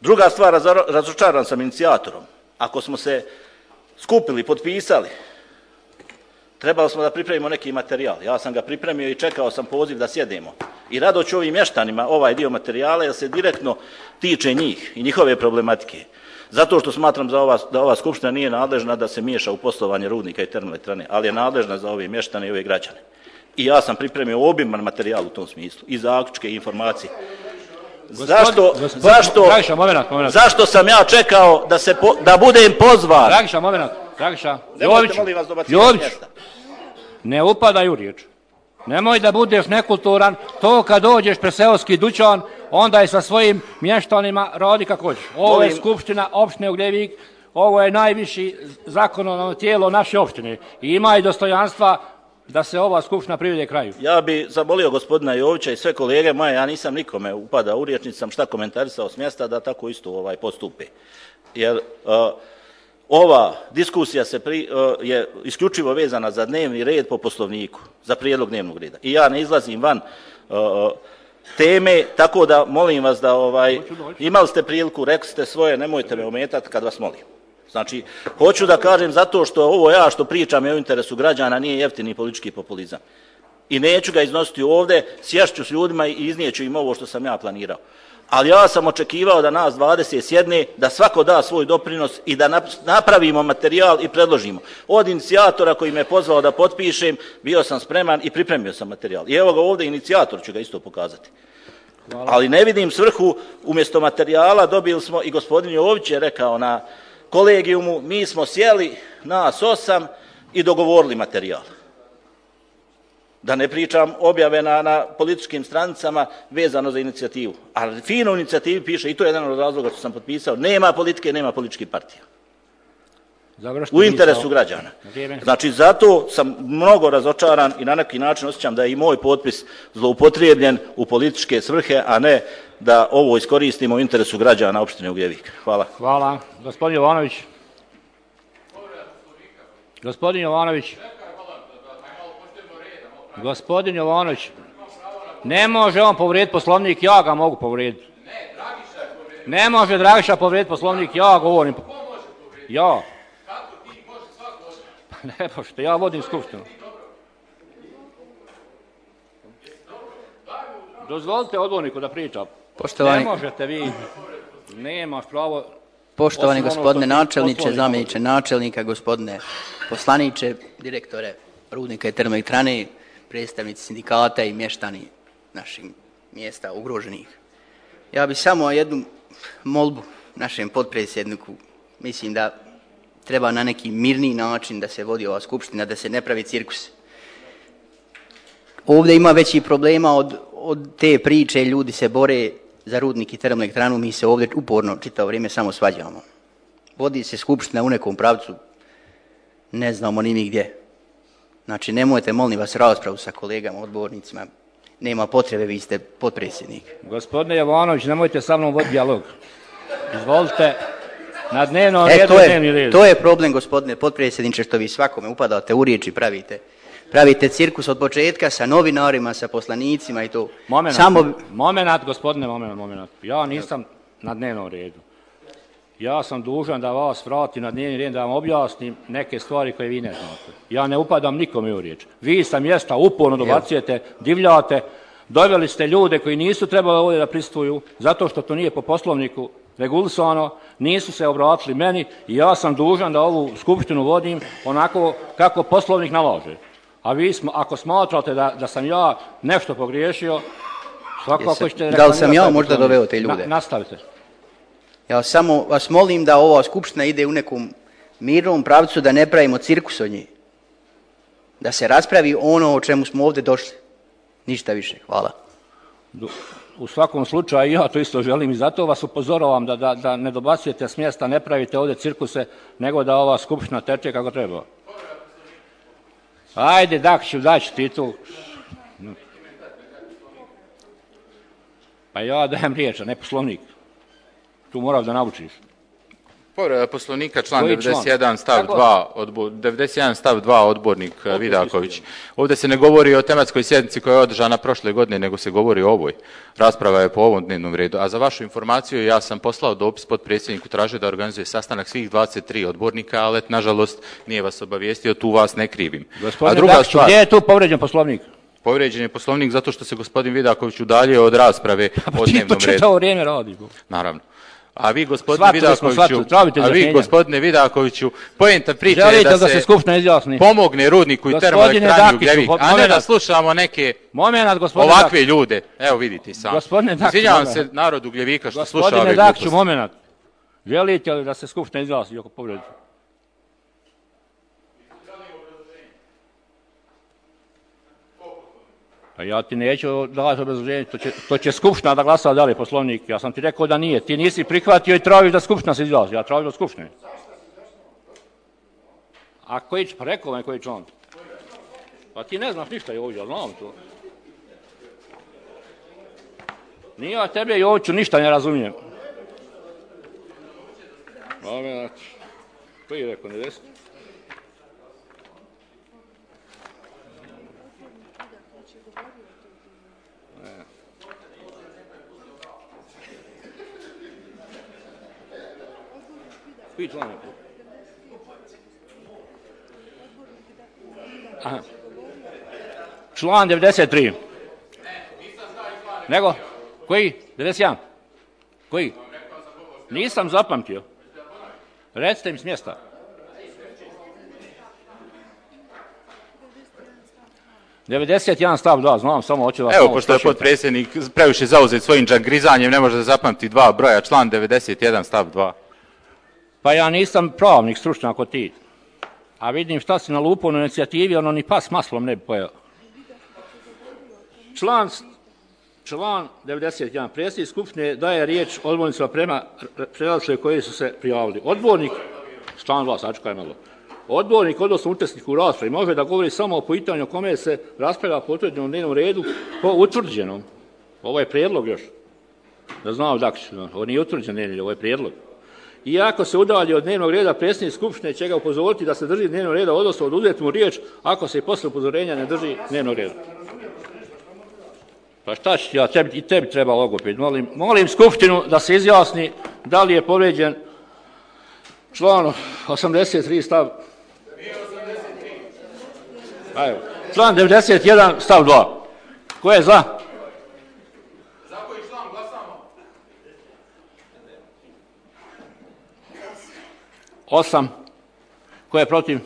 Druga stvar, razočaran sam inicijatorom. Ako smo se skupili, potpisali, trebali smo da pripremimo neki materijal. Ja sam ga pripremio i čekao sam poziv da sjedemo. I rado ću ovim mještanima ovaj dio materijala jer se direktno tiče njih i njihove problematike. Zato što smatram da ova skupština nije nadležna da se miješa u poslovanje rudnika i termoelektrane, ali je nadležna za ove mještane i ove građane. I ja sam pripremio obiman materijal u tom smislu. I zaključke i informacije. Zašto sam ja čekao da budem pozvan? Dragiša, Jović, ne upadaj u riječ. Nemoj da budeš nekulturan, to kad dođeš pred seoski dućan, onda je sa svojim mještanima radi kako hoćeš. Ovo je Skupština opštine Ugljevik, ovo je najviši zakonodavno tijelo naše opštine i ima i dostojanstva da se ova skupština privede kraju. Ja bi zamolio gospodina Jovića i sve kolege moje, ja nisam nikome upadao u riječ, nisam šta komentarisao s mjesta da tako isto postupe. Jer ova diskusija je isključivo vezana za dnevni red po Poslovniku, za prijedlog dnevnog reda. I ja ne izlazim van teme, tako da molim vas da imali ste priliku, rekli ste svoje, nemojte me ometati kad vas molim. Znači, hoću da kažem zato što ovo ja što pričam je u interesu građana, nije jeftini politički populizam. I neću ga iznositi ovdje, sješću s ljudima i iznijeću im ovo što sam ja planirao. Ali ja sam očekivao da nas 20 sjedne, da svako da svoj doprinos i da napravimo materijal i predložimo. Od inicijatora koji me pozvao da potpišem, bio sam spreman i pripremio sam materijal. I evo ga ovdje inicijator ću ga isto pokazati. Hvala. Ali ne vidim svrhu, umjesto materijala dobili smo, i gospodin Jović je rekao na kolegijumu, mi smo sjeli nas 8 i dogovorili materijal. Da ne pričam objave na političkim stranicama vezano za inicijativu. Ali fino u inicijativi piše, i to je jedan od razloga što sam potpisao, nema politike, nema političkih partija. U interesu građana. Znači, zato sam mnogo razočaran i na neki način osjećam da je i moj potpis zloupotrijebljen u političke svrhe, a ne da ovo iskoristimo u interesu građana opštine Ugljevik. Hvala. Hvala. Gospodin Jovanović. Gospodin Jovanović. Gospodin Jovanović. Ne može on povrijediti Poslovnik, ja ga mogu povrijediti. Ne može Dragiša povrijediti Poslovnik, ja govorim. Ja. Ne možete, ja vodim skupštinu. Dozvolite odborniku da priča. Ne možete vi, nemaš pravo. Poštovani gospodine načelniče, zamjeniče načelnika, gospodine poslaniče, direktore rudnika i termoelektrane, predstavnici sindikata i mještani naših mjesta ugroženih. Ja bih samo jednu molbu našem potpredsjedniku, mislim da treba na neki mirniji način da se vodi ova skupština, da se ne pravi cirkus. Ovdje ima većih problema od te priče, ljudi se bore za rudnik i termoelektranu, mi se ovdje uporno čitavo vrijeme samo svađamo. vodi se skupština u nekom pravcu, ne znamo ni mi gdje. Znači, nemojte, molim vas, raspravu sa kolegama, odbornicima. Nema potrebe, vi ste potpredsjednik. Gospodine Jovanović, nemojte sa mnom voditi dijalog. Izvolite, na dnevnom redu dnevni red. To je problem, gospodine potpredsjedniče, što vi svakome upadate u riječ i pravite cirkus od početka sa novinarima, sa poslanicima i to. Momenat, gospodine, momenat. Ja nisam na dnevnom redu. Ja sam dužan da vas vratim na dnevni red, da vam objasnim neke stvari koje vi ne znate. Ja ne upadam nikome u riječ. Vi sa mjesta uporno dobacujete, divljate, doveli ste ljude koji nisu trebali ovdje da prisustvuju, zato što to nije po Poslovniku regulisano, nisu se obratili meni i ja sam dužan da ovu skupštinu vodim onako kako Poslovnik nalaže. A vi, ako smatrate da sam ja nešto pogriješio, svakako ćete... Da li sam ja možda doveo te ljude? Nastavite. Ja samo vas molim da ova skupština ide u nekom mirnom pravcu, da ne pravimo cirkus od njih. Da se raspravi ono o čemu smo ovdje došli. Ništa više. Hvala. U svakom slučaju ja to isto želim i zato vas upozoravam da ne dobacujete s mjesta, ne pravite ovdje cirkuse, nego da ova skupština teče kako treba. Ajde, Dakšiću, daću ti tu. Pa ja dajem riječ, a ne Poslovnik. Tu moraš da naučiš. Povreda Poslovnika, član 91 stav 2 odbornik Vidaković. Ovdje se ne govori o tematskoj sjednici koja je održana prošle godine, nego se govori o ovoj. Rasprava je po ovom dnevnom redu. A za vašu informaciju, ja sam poslao dopis potpredsjedniku, tražio da organizuje sastanak svih 23 odbornika, ali nažalost nije vas obavijestio, tu vas ne krivim. Gospodine Dakšiću, gdje je tu povrijeđen Poslovnik? Povrijeđen je Poslovnik zato što se gospodin Vidaković udaljio od rasprave o dnevnom redu. To vrijeme radi. Naravno. A vi, gospodine Vidakoviću, poenta priče je da se pomogne Rudniku i termoelektrani Ugljevik, a ne da slušamo neke ovakve ljude. Evo vidite sami. Izvinjavam se narodu Ugljevika što sluša ove gluposti. Gospodine Dakšiću, momenat. Želite li da se skupština izjasni oko povrede? Pa ja ti neću davati obrazloženje, to će skupština da glasa da li je Poslovnik. Ja sam ti rekao da nije. Ti nisi prihvatio i tražiš da skupština se izjasni. Ja tražim od skupštine. A koji, pa rekao vam koji član? Pa ti ne znaš ništa Jović, ja znam to. Nije ja tebe Joviću ništa ne razumijem. Moment. Koji je rekao, ne desi? Koji član je? Aha. Član 93. Nego? Koji? 91? Koji? Nisam zapamtio. Recite mi s mjesta. ...91 stav 2, znam, samo hoću vas... Evo, pošto je potpredsjednik previše zauzet svojim grizanjem, ne može da zapamti dva broja, član 91 stav 2. Pa ja nisam pravnik, stručnjak kod ti. A vidim šta si nalupao na inicijativi, ono ni pas maslom ne bi pojeo. Član 91. Predsjednik skupštine daje riječ odbornicima prema redoslijedu koji su se prijavili. Odbornik, član 2, sačekaj malo. Odbornik, odnosno učesnik u raspravi, može da govori samo o pitanju o kome se raspravlja po utvrđenom dnevnom redu, po utvrđenom. Ovo je prijedlog još. Da znamo Dakšiću, ovo nije utvrđen dnevni red, ovo je prijedlog. I ako se udalji od dnevnog reda, predsjednik skupštine će ga upozoriti da se drži dnevnog reda, odnosno oduzeti mu riječ ako se i posle upozorenja ne drži dnevnog reda. Pa šta ću ja, i tebi treba logoped. Molim skupštinu da se izjasni da li je povrijeđen član 83 stav... Evo, član 91 stav 2. Ko je za? Za koji član glasamo? 8. Ko je protiv?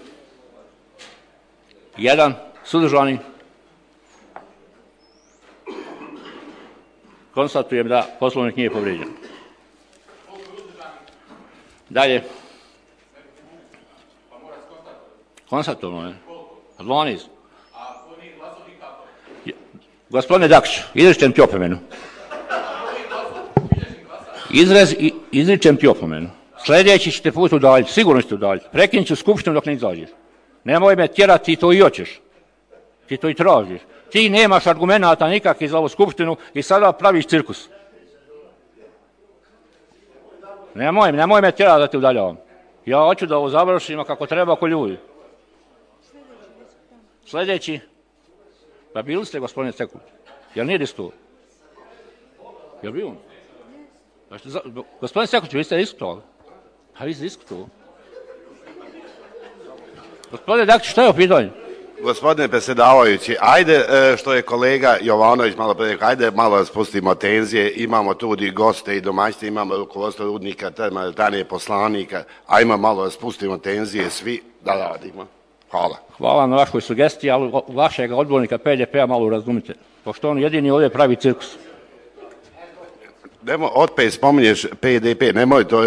1. Suzdržani? Konstatujem da Poslovnik nije povrijeđen. Dalje. Konstatovano je. 12. Gospodine Dakšiću, izričem ti opomenu. Izričem ti opomenu. Sljedeći ćete put udaljiti, sigurno ćete udaljiti. Prekinit ću skupštinu dok ne izađeš. Nemoj me tjerati, ti to i hoćeš. Ti to i tražiš. Ti nemaš argumenata nikakvih za ovu skupštinu i sada praviš cirkus. Nemoj me tjerati da te udaljavam. Ja hoću da ovo završimo kako treba oko ljudi. Sljedeći. Pa bili ste, gospodine Cekulić? Jel nije diskutovao? Jel bio on? Gospodine Cekulić, vi ste diskutovali? Pa vi ste diskutovali. Gospodine Dakić, što je u pitanju? Gospodine predsjedavajući, ajde što je kolega Jovanović malo prije, ajde malo spustimo tenzije, imamo tu i goste i domaćice, imamo rukovodstvo rudnika, termoelektrane poslanika, ajmo malo spustimo tenzije svi da radimo. Hvala. Hvala na vašoj sugestiji, ali vašeg odbornika PDP-a malo razumite, pošto on jedini ovdje pravi cirkus. Opet spominješ PDP, nemoj to,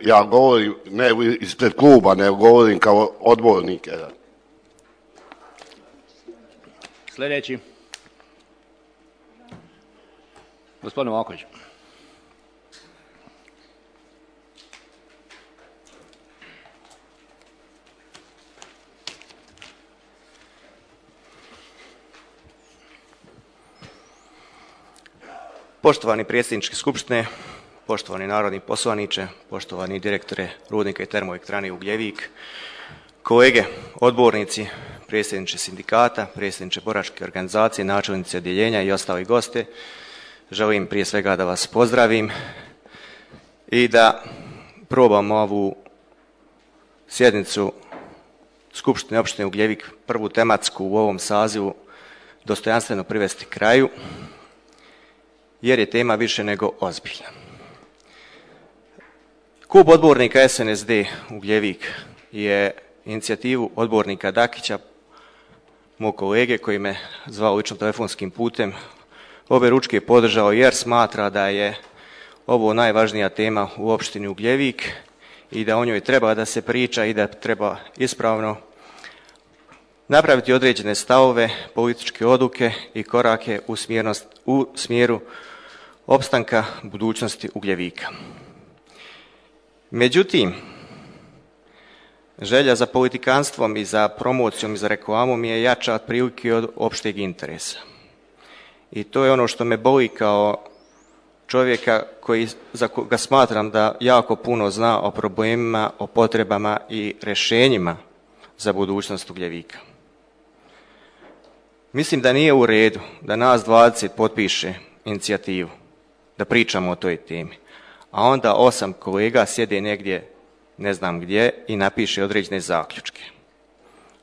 ja govorim ne ispred kluba, nego govorim kao odbornik. Sljedeći. Gospodin Vaković. Poštovani predsjedničke skupštine, poštovani narodni poslaniče, poštovani direktore rudnika i termoelektrane Ugljevik, kolege, odbornici, predsjedniče sindikata, predsjedniče boračke organizacije, načelnici odjeljenja i ostali goste, želim prije svega da vas pozdravim i da probam ovu sjednicu Skupštine opštine Ugljevik, prvu tematsku u ovom sazivu, dostojanstveno privesti kraju, jer je tema više nego ozbiljna. Klub odbornika SNSD Ugljevik je inicijativu odbornika Dakića, mog kolege koji me zvao lično telefonskim putem, obe ručke podržao jer smatra da je ovo najvažnija tema u opštini Ugljevik i da o njoj treba da se priča i da treba ispravno napraviti određene stavove, političke odluke i korake u smjeru opstanka budućnosti Ugljevika. Međutim, želja za politikanstvom i za promocijom i za reklamom je jača otprilike od opšteg interesa. I to je ono što me boli kao čovjeka za koga smatram da jako puno zna o problemima, o potrebama i rješenjima za budućnost Ugljevika. Mislim da nije u redu da nas 20 potpiše inicijativu, da pričamo o toj temi, a onda 8 kolega sjede negdje, ne znam gdje, i napiše određene zaključke.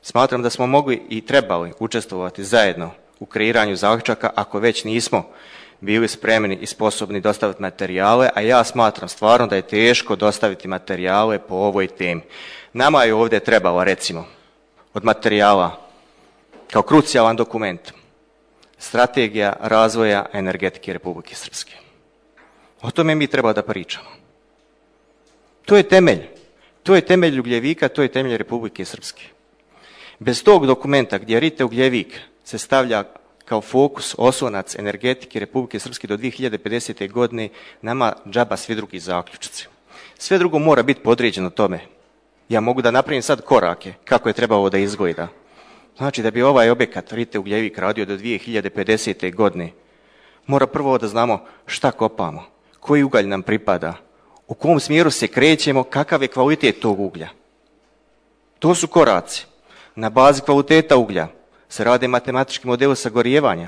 Smatram da smo mogli i trebali učestvovati zajedno u kreiranju zaključaka ako već nismo bili spremni i sposobni dostaviti materijale, a ja smatram stvarno da je teško dostaviti materijale po ovoj temi. Nama je ovdje trebalo, recimo, od materijala kao krucijalan dokument Strategija razvoja energetike Republike Srpske. O tome mi treba da pričamo. To je temelj. To je temelj Ugljevika, to je temelj Republike Srpske. Bez tog dokumenta gdje Rite Ugljevik se stavlja kao fokus, oslonac energetike Republike Srpske do 2050. godine, nama džaba svi drugi zaključci. Sve drugo mora biti podređeno tome. Ja mogu da napravim sad korake kako je trebalo da izgleda. Znači da bi ovaj objekat Rite Ugljevik radio do 2050. godine, mora prvo da znamo šta kopamo, koji ugalj nam pripada, u kom smjeru se krećemo, kakav je kvalitet tog uglja. To su koraci. Na bazi kvaliteta uglja se rade matematički modeli sagorijevanja.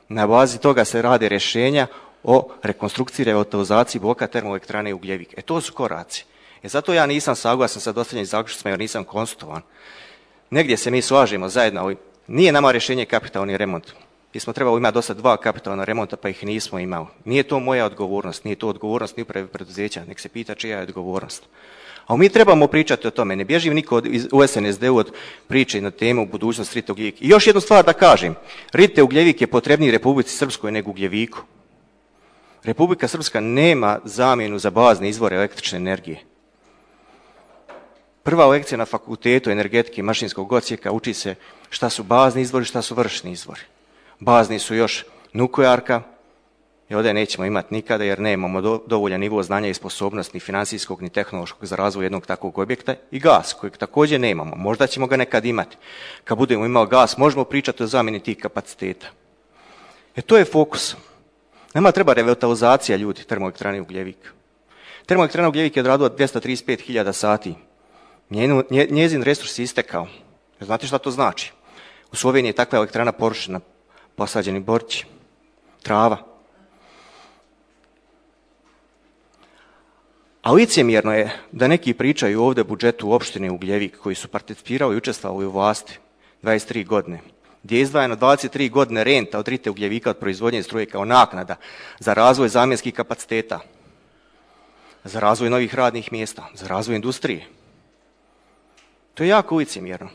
Na bazi toga se rade rješenja o rekonstrukciji i revitalizaciji bloka termoelektrane Ugljevik. To su koraci. Zato ja nisam saglasan sa dostavljenim zaključcima jer nisam konsultovan. Negdje se mi slažemo zajedno, ali nije nama rješenje kapitalni remont. Mi smo trebali imati do sad 2 kapitalna remonta, pa ih nismo imali. Nije to moja odgovornost, nije to odgovornost ni uprave preduzeća, nek se pita čija je odgovornost. A mi trebamo pričati o tome, ne bježi niko u SNSD-u od priče na temu budućnost Rite Ugljevik. I još jednu stvar da kažem, Rite Ugljevik je potrebniji Republici Srpskoj nego Ugljeviku. Republika Srpska nema zamjenu za bazne izvore električne energije. Prva lekcija na fakultetu energetike i mašinskog odsjeka uči se šta su bazni izvori, šta su vršni izvori. Bazni su još nuklearka, i ovdje nećemo imati nikada jer nemamo dovoljan nivo znanja i sposobnosti ni financijskog ni tehnološkog za razvoj jednog takvog objekta, i gas kojeg također nemamo. Možda ćemo ga nekad imati. Kad budemo imali gas možemo pričati o zamjeni tih kapaciteta. To je fokus. Nama treba revitalizacija ljudi termoelektrane Ugljevik. Termoelektrana Ugljevik je odradila 235.000 sati. Njezin resurs je istekao. Znate šta to znači? U Sloveniji je takva elektrana porušena, posađeni borći, trava. A licemjerno je da neki pričaju ovdje o budžetu opštine Ugljevik koji su participirali i učestvovali u vlasti 23 godine, gdje je izdvajano 23 godine renta od RITE Ugljevika od proizvodnje struje kao naknada za razvoj zamjenskih kapaciteta, za razvoj novih radnih mjesta, za razvoj industrije. To je jako licemjerno.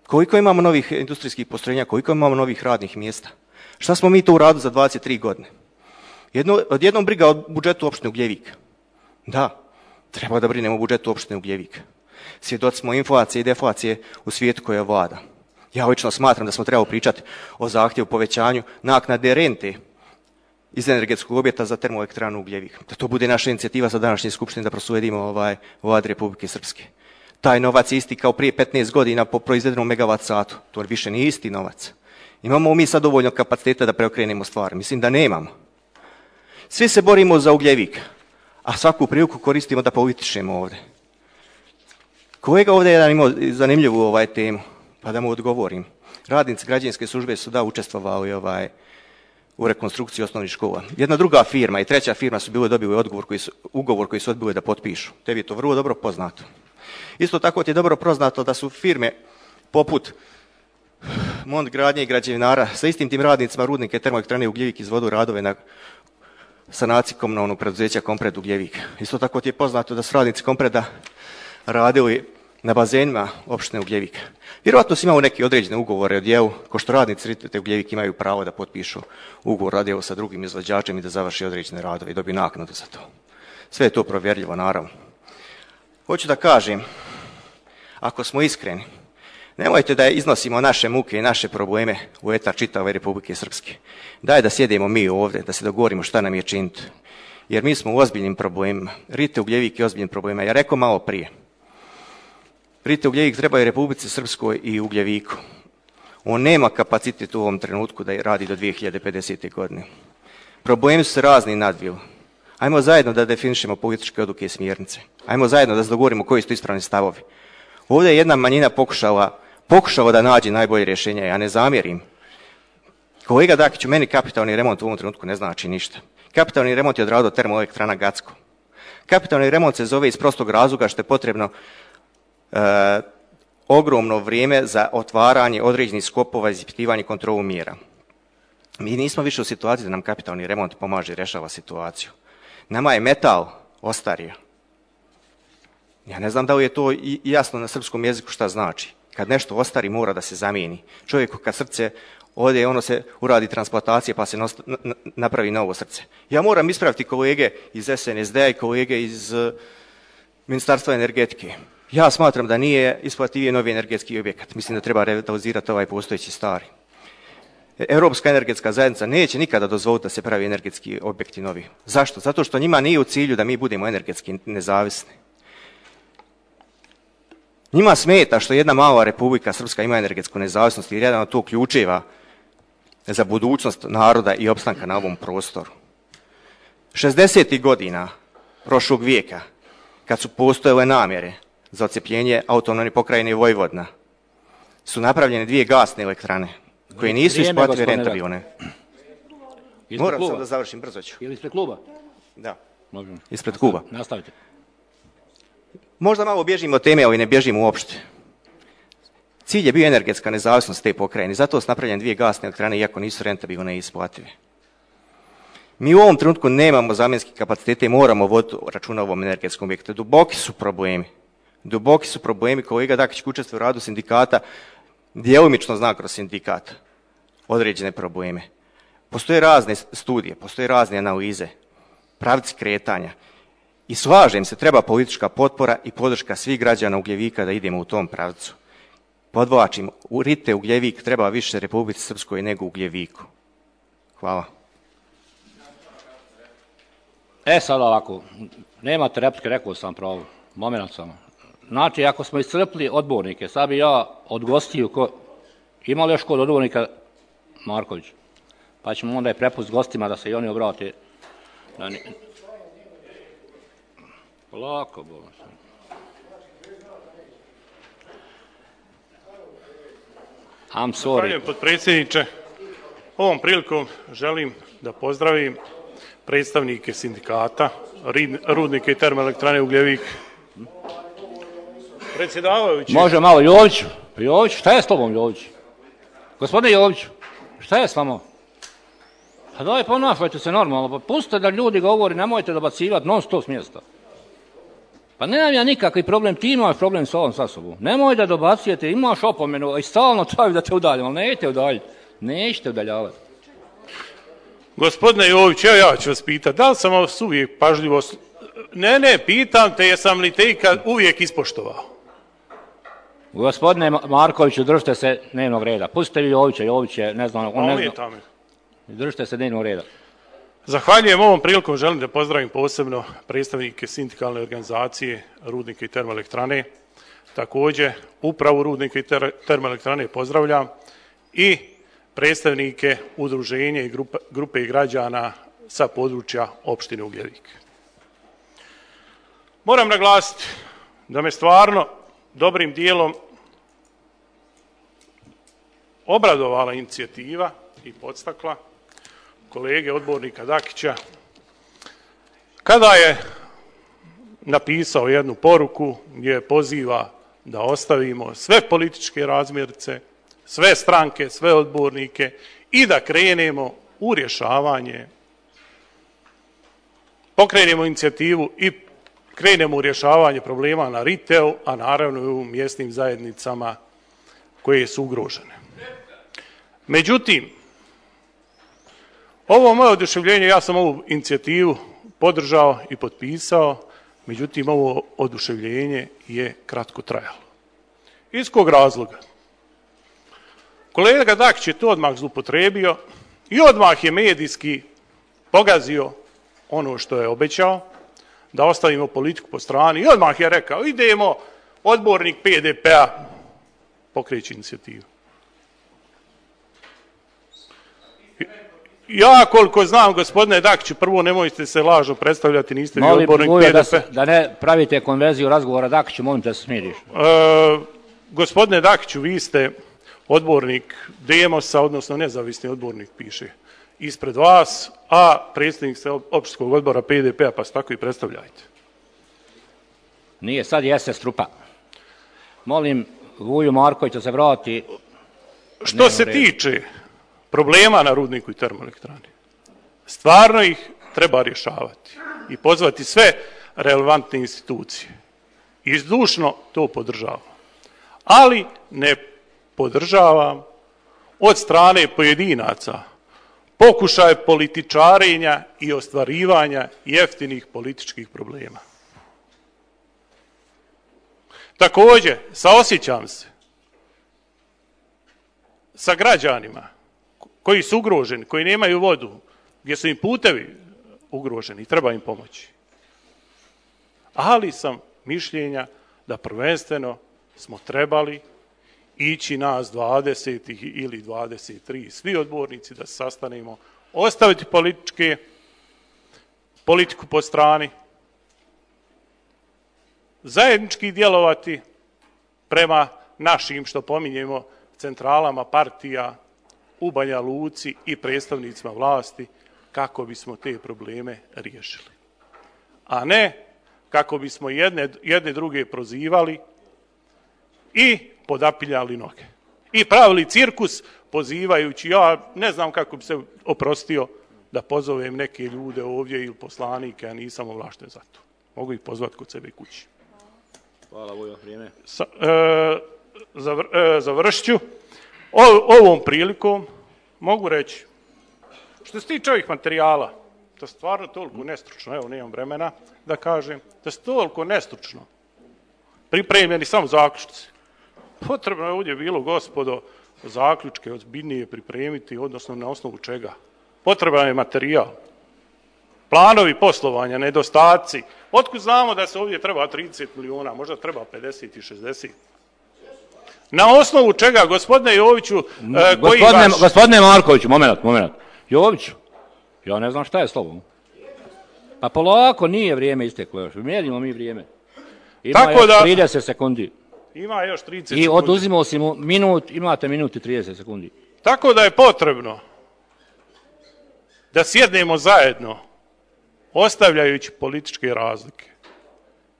Koliko imamo novih industrijskih postrojenja, koliko imamo novih radnih mjesta? Šta smo mi to uradili za 23 godine? Odjednom briga o budžetu opštine Ugljevik. Da, treba da brinemo o budžetu opštine Ugljevik. Svjedoci smo inflacije i deflacije u svijetu koja vlada. Ja lično smatram da smo trebali pričati o zahtjevu povećanju naknade rente iz energetskog objekta za termoelektranu Ugljevik. Da to bude naša inicijativa za današnje skupštine da proslijedimo Vladi Republike Srpske. Taj novac je isti kao prije 15 godina po proizvedenom megavat satu. To više nije isti novac. Imamo mi sad dovoljno kapaciteta da preokrenemo stvari? Mislim da nemamo. Svi se borimo za Ugljevik, a svaku priliku koristimo da političemo ovdje. Kolega ovdje je imao zanimljivu temu, pa da mu odgovorim. Radnici građevinske službe su učestvovali u rekonstrukciji osnovnih škola. Jedna druga firma i treća firma su bile dobili ugovor koji su odbili da potpišu. Tebi je to vrlo dobro poznato. Isto tako ti je dobro poznato da su firme poput Mont gradnje i građevinara sa istim tim radnicima rudnike termoelektrane Ugljevik izvodu radove na sanaciji komunalnog preduzeća Kompred Ugljevik. Isto tako ti je poznato da su radnici Kompreda radili na bazenima opštine Ugljevik. Vjerojatno su imali neki određene ugovore o djelu, ko što radnici RITE Ugljevik imaju pravo da potpišu ugovor o djelu sa drugim izvođačem i da završi određene radove i dobiju naknadu za to. Sve je to provjerljivo, naravno. Hoću da kažem, ako smo iskreni, nemojte da iznosimo naše muke i naše probleme u etar čitave Republike Srpske. Daj da sjedemo mi ovdje, da se dogovorimo šta nam je činiti. Jer mi smo u ozbiljnim problemima. RITE Ugljevik je ozbiljnim problemima. Ja rekao malo prije. RITE Ugljevik treba i Republici Srpskoj i Ugljeviku. On nema kapacitet u ovom trenutku da radi do 2050. godine. Problemi su se razni nadvili. Ajmo zajedno da definišemo političke odluke i smjernice. Ajmo zajedno da se dogovorimo koji su to ispravni stavovi. Ovdje je jedna manjina pokušala da nađe najbolje rješenje, ja ne zamjerim. Kolega Dakiću, meni kapitalni remont u ovom trenutku ne znači ništa. Kapitalni remont je odradio termoelektrana Gacko. Kapitalni remont se zove iz prostog razloga što je potrebno ogromno vrijeme za otvaranje određenih skopova, ispitivanje i kontrolu mjera. Mi nismo više u situaciji da nam kapitalni remont pomaže i rješava situaciju. Nama je metal ostario. Ja ne znam da li je to jasno na srpskom jeziku šta znači. Kad nešto ostari mora da se zamijeni. Čovjeku kad srce ode, ono se uradi transplantacija pa se napravi novo srce. Ja moram ispraviti kolege iz SNSD-a i kolege iz Ministarstva energetike. Ja smatram da nije isplativije novi energetski objekat. Mislim da treba revitalizirati ovaj postojeći stari. Europska energetska zajednica neće nikada dozvoliti da se pravi energetski objekti novi. Zašto? Zato što njima nije u cilju da mi budemo energetski nezavisni. Njima smeta što jedna mala Republika Srpska ima energetsku nezavisnost jer jedan od to ključeva za budućnost naroda i opstanka na ovom prostoru. 60. godina prošlog vijeka, kad su postojale namjere za odcepljenje autonomne pokrajine Vojvodina, su napravljene 2 gasne elektrane koje nisu isplative rentabilne. Moram sam da završim, brzo ću. Je li ispred kluba? Da, ispred kluba. Nastavite. Možda malo bježimo od teme, ali ne bježimo uopšte. Cilj je bio energetska nezavisnost te pokrajine, zato su napravljene 2 gasne elektrane, iako nisu rentabilne i isplative. Mi u ovom trenutku nemamo zamjenske kapacitete i moramo voditi računa o ovom energetskom objektu. Duboki su problemi. Kolega Dakić učestvuje u radu sindikata, djelomično zna kroz sindikat određene probleme. Postoje razne studije, postoje razne analize, pravci kretanja. I slažem se, treba politička potpora i podrška svih građana Ugljevika da idemo u tom pravcu. Podvlačim, u RITE Ugljevik treba više Republici Srpskoj nego Ugljeviku. Hvala. Sad ovako, nemate replike, rekao sam pravo, moment samo. Znači, ako smo iscrpili odbornike, sad bi ja od gostiju, ima li još kod odbornika Marković? Pa ćemo onda je prepust gostima da se i oni obrate. Lako, bolno sam. I'm sorry. Zahvaljujem, potpredsjedniče. Ovom prilikom želim da pozdravim predstavnike sindikata, Rudnika i termoelektrane Ugljevik. Predsjedavajući... Može malo, Jović, šta je s tobom, Jović? Gospodine Jović, šta je s vama? Pa daj, ponašajte se normalno, pa pustite da ljudi govori, nemojte dobacivati non stop s mjesta. Pa nemam ja nikakvi problem, ti imaš problem s ovom sa sobom. Nemoj da dobacujete, imaš opomenu i stalno traju da te udaljim, ali nećete udaljiti, nećete udaljavati. Gospodine Jović, ja ću vas pitati, da li sam vas uvijek pažljivo... Ne, pitam te, jesam li te ikad uvijek ispoštovao? Gospodine Markoviću, držite se dnevnog reda. Pustite vi Jović je, ne znam, on ne zna. Držite se dnevnog reda. Zahvaljujem, ovom prilikom želim da pozdravim posebno predstavnike sindikalne organizacije Rudnika i termoelektrane. Također, upravu Rudnika i termoelektrane pozdravljam i predstavnike udruženja i grupe građana sa područja opštine Ugljevik. Moram naglasiti da me stvarno dobrim dijelom obradovala inicijativa i podstakla kolege odbornika Dakića kada je napisao jednu poruku gdje poziva da ostavimo sve političke razmjerice, sve stranke, sve odbornike i da krenemo u rješavanje, pokrenemo inicijativu i krenemo u rješavanje problema na Riteu, a naravno i u mjesnim zajednicama koje su ugrožene. Međutim, ovo moje oduševljenje, ja sam ovu inicijativu podržao i potpisao, međutim ovo oduševljenje je kratko trajalo. Iz kog razloga? Kolega Dakić je to odmah zloupotrebio i odmah je medijski pogazio ono što je obećao, da ostavimo politiku po strani, i odmah je rekao, idemo, odbornik PDP-a pokreće inicijativu. Ja koliko znam, gospodine Dakiću, prvo nemojte se lažno predstavljati, niste vi odbornik PDP. Da ne pravite konverziju razgovora Dakiću, molim te da se smiriš. Gospodine Dakiću, vi ste odbornik Demosa, odnosno nezavisni odbornik, piše ispred vas, a predsjednik ste opštinskog odbora PDP-a, pa se tako i predstavljajte. Nije, sad jeste strupa. Molim Vuju Markovića da se vrati. Što se tiče problema na Rudniku i termoelektrani, stvarno ih treba rješavati i pozvati sve relevantne institucije. I zdušno to podržavam. Ali ne podržavam od strane pojedinaca pokušaj političarenja i ostvarivanja jeftinih političkih problema. Također, saosjećam se sa građanima koji su ugroženi, koji nemaju vodu, gdje su im putevi ugroženi i treba im pomoći. Ali sam mišljenja da prvenstveno smo trebali ići nas 20 ili 23, svi odbornici da se sastanemo, ostaviti politiku po strani, zajednički djelovati prema našim, što pominjemo, centralama partija u Banja Luci i predstavnicima vlasti kako bismo te probleme riješili. A ne kako bismo jedne druge prozivali i podapiljali noge. I pravili cirkus pozivajući, ja ne znam kako bi se oprostio da pozovem neke ljude ovdje ili poslanike, a nisam ovlašten za to. Mogu ih pozvati kod sebe kući. Hvala, Vujo, vrijeme. Završit ću. Ovom prilikom mogu reći, što se tiče ovih materijala, to je stvarno toliko nestručno, evo nemam vremena da kažem, da je toliko nestručno pripremljeni samo zaključci. Potrebno je ovdje bilo, gospodo, zaključke ozbiljnije pripremiti, odnosno na osnovu čega. Potreban je materijal. planovi poslovanja, nedostaci. Otkud znamo da se ovdje treba 30 milijuna, možda treba 50 i 60? Na osnovu čega, gospodine Joviću, Gospodine Markoviću, moment. Joviću, ja ne znam šta je s tobom. Pa polako, nije vrijeme isteklo još. Mjerimo mi vrijeme. Ima još 30 sekundi. Ima još 30 sekundi. I oduzimao si mu minut, imate minut i 30 sekundi. Tako da je potrebno da sjednemo zajedno, ostavljajući političke razlike,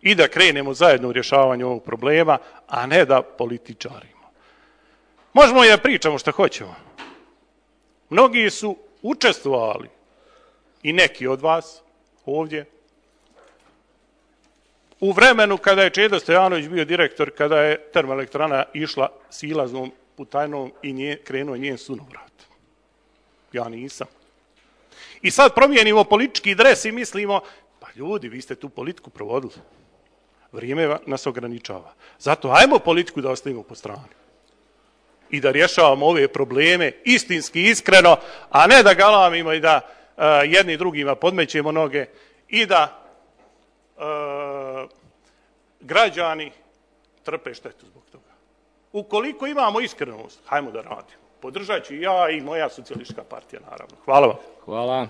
i da krenemo zajedno u rješavanju ovog problema, a ne da političarimo. Možemo i da pričamo što hoćemo. Mnogi su učestvovali, i neki od vas ovdje, u vremenu kada je Čedo Stojanović bio direktor, kada je termoelektrana išla silaznom putajnom i krenuo njen sunovrat. Ja nisam. I sad promijenimo politički dres i mislimo, pa ljudi, vi ste tu politiku provodili. Vrijeme nas ograničava. Zato ajmo politiku da ostavimo po strani. I da rješavamo ove probleme istinski, iskreno, a ne da galamimo i da jedni drugima podmećemo noge i da građani trpe štetu zbog toga. Ukoliko imamo iskrenost, hajmo da radimo. Podržat ću i ja i moja socijalistička partija, naravno. Hvala vam. Hvala.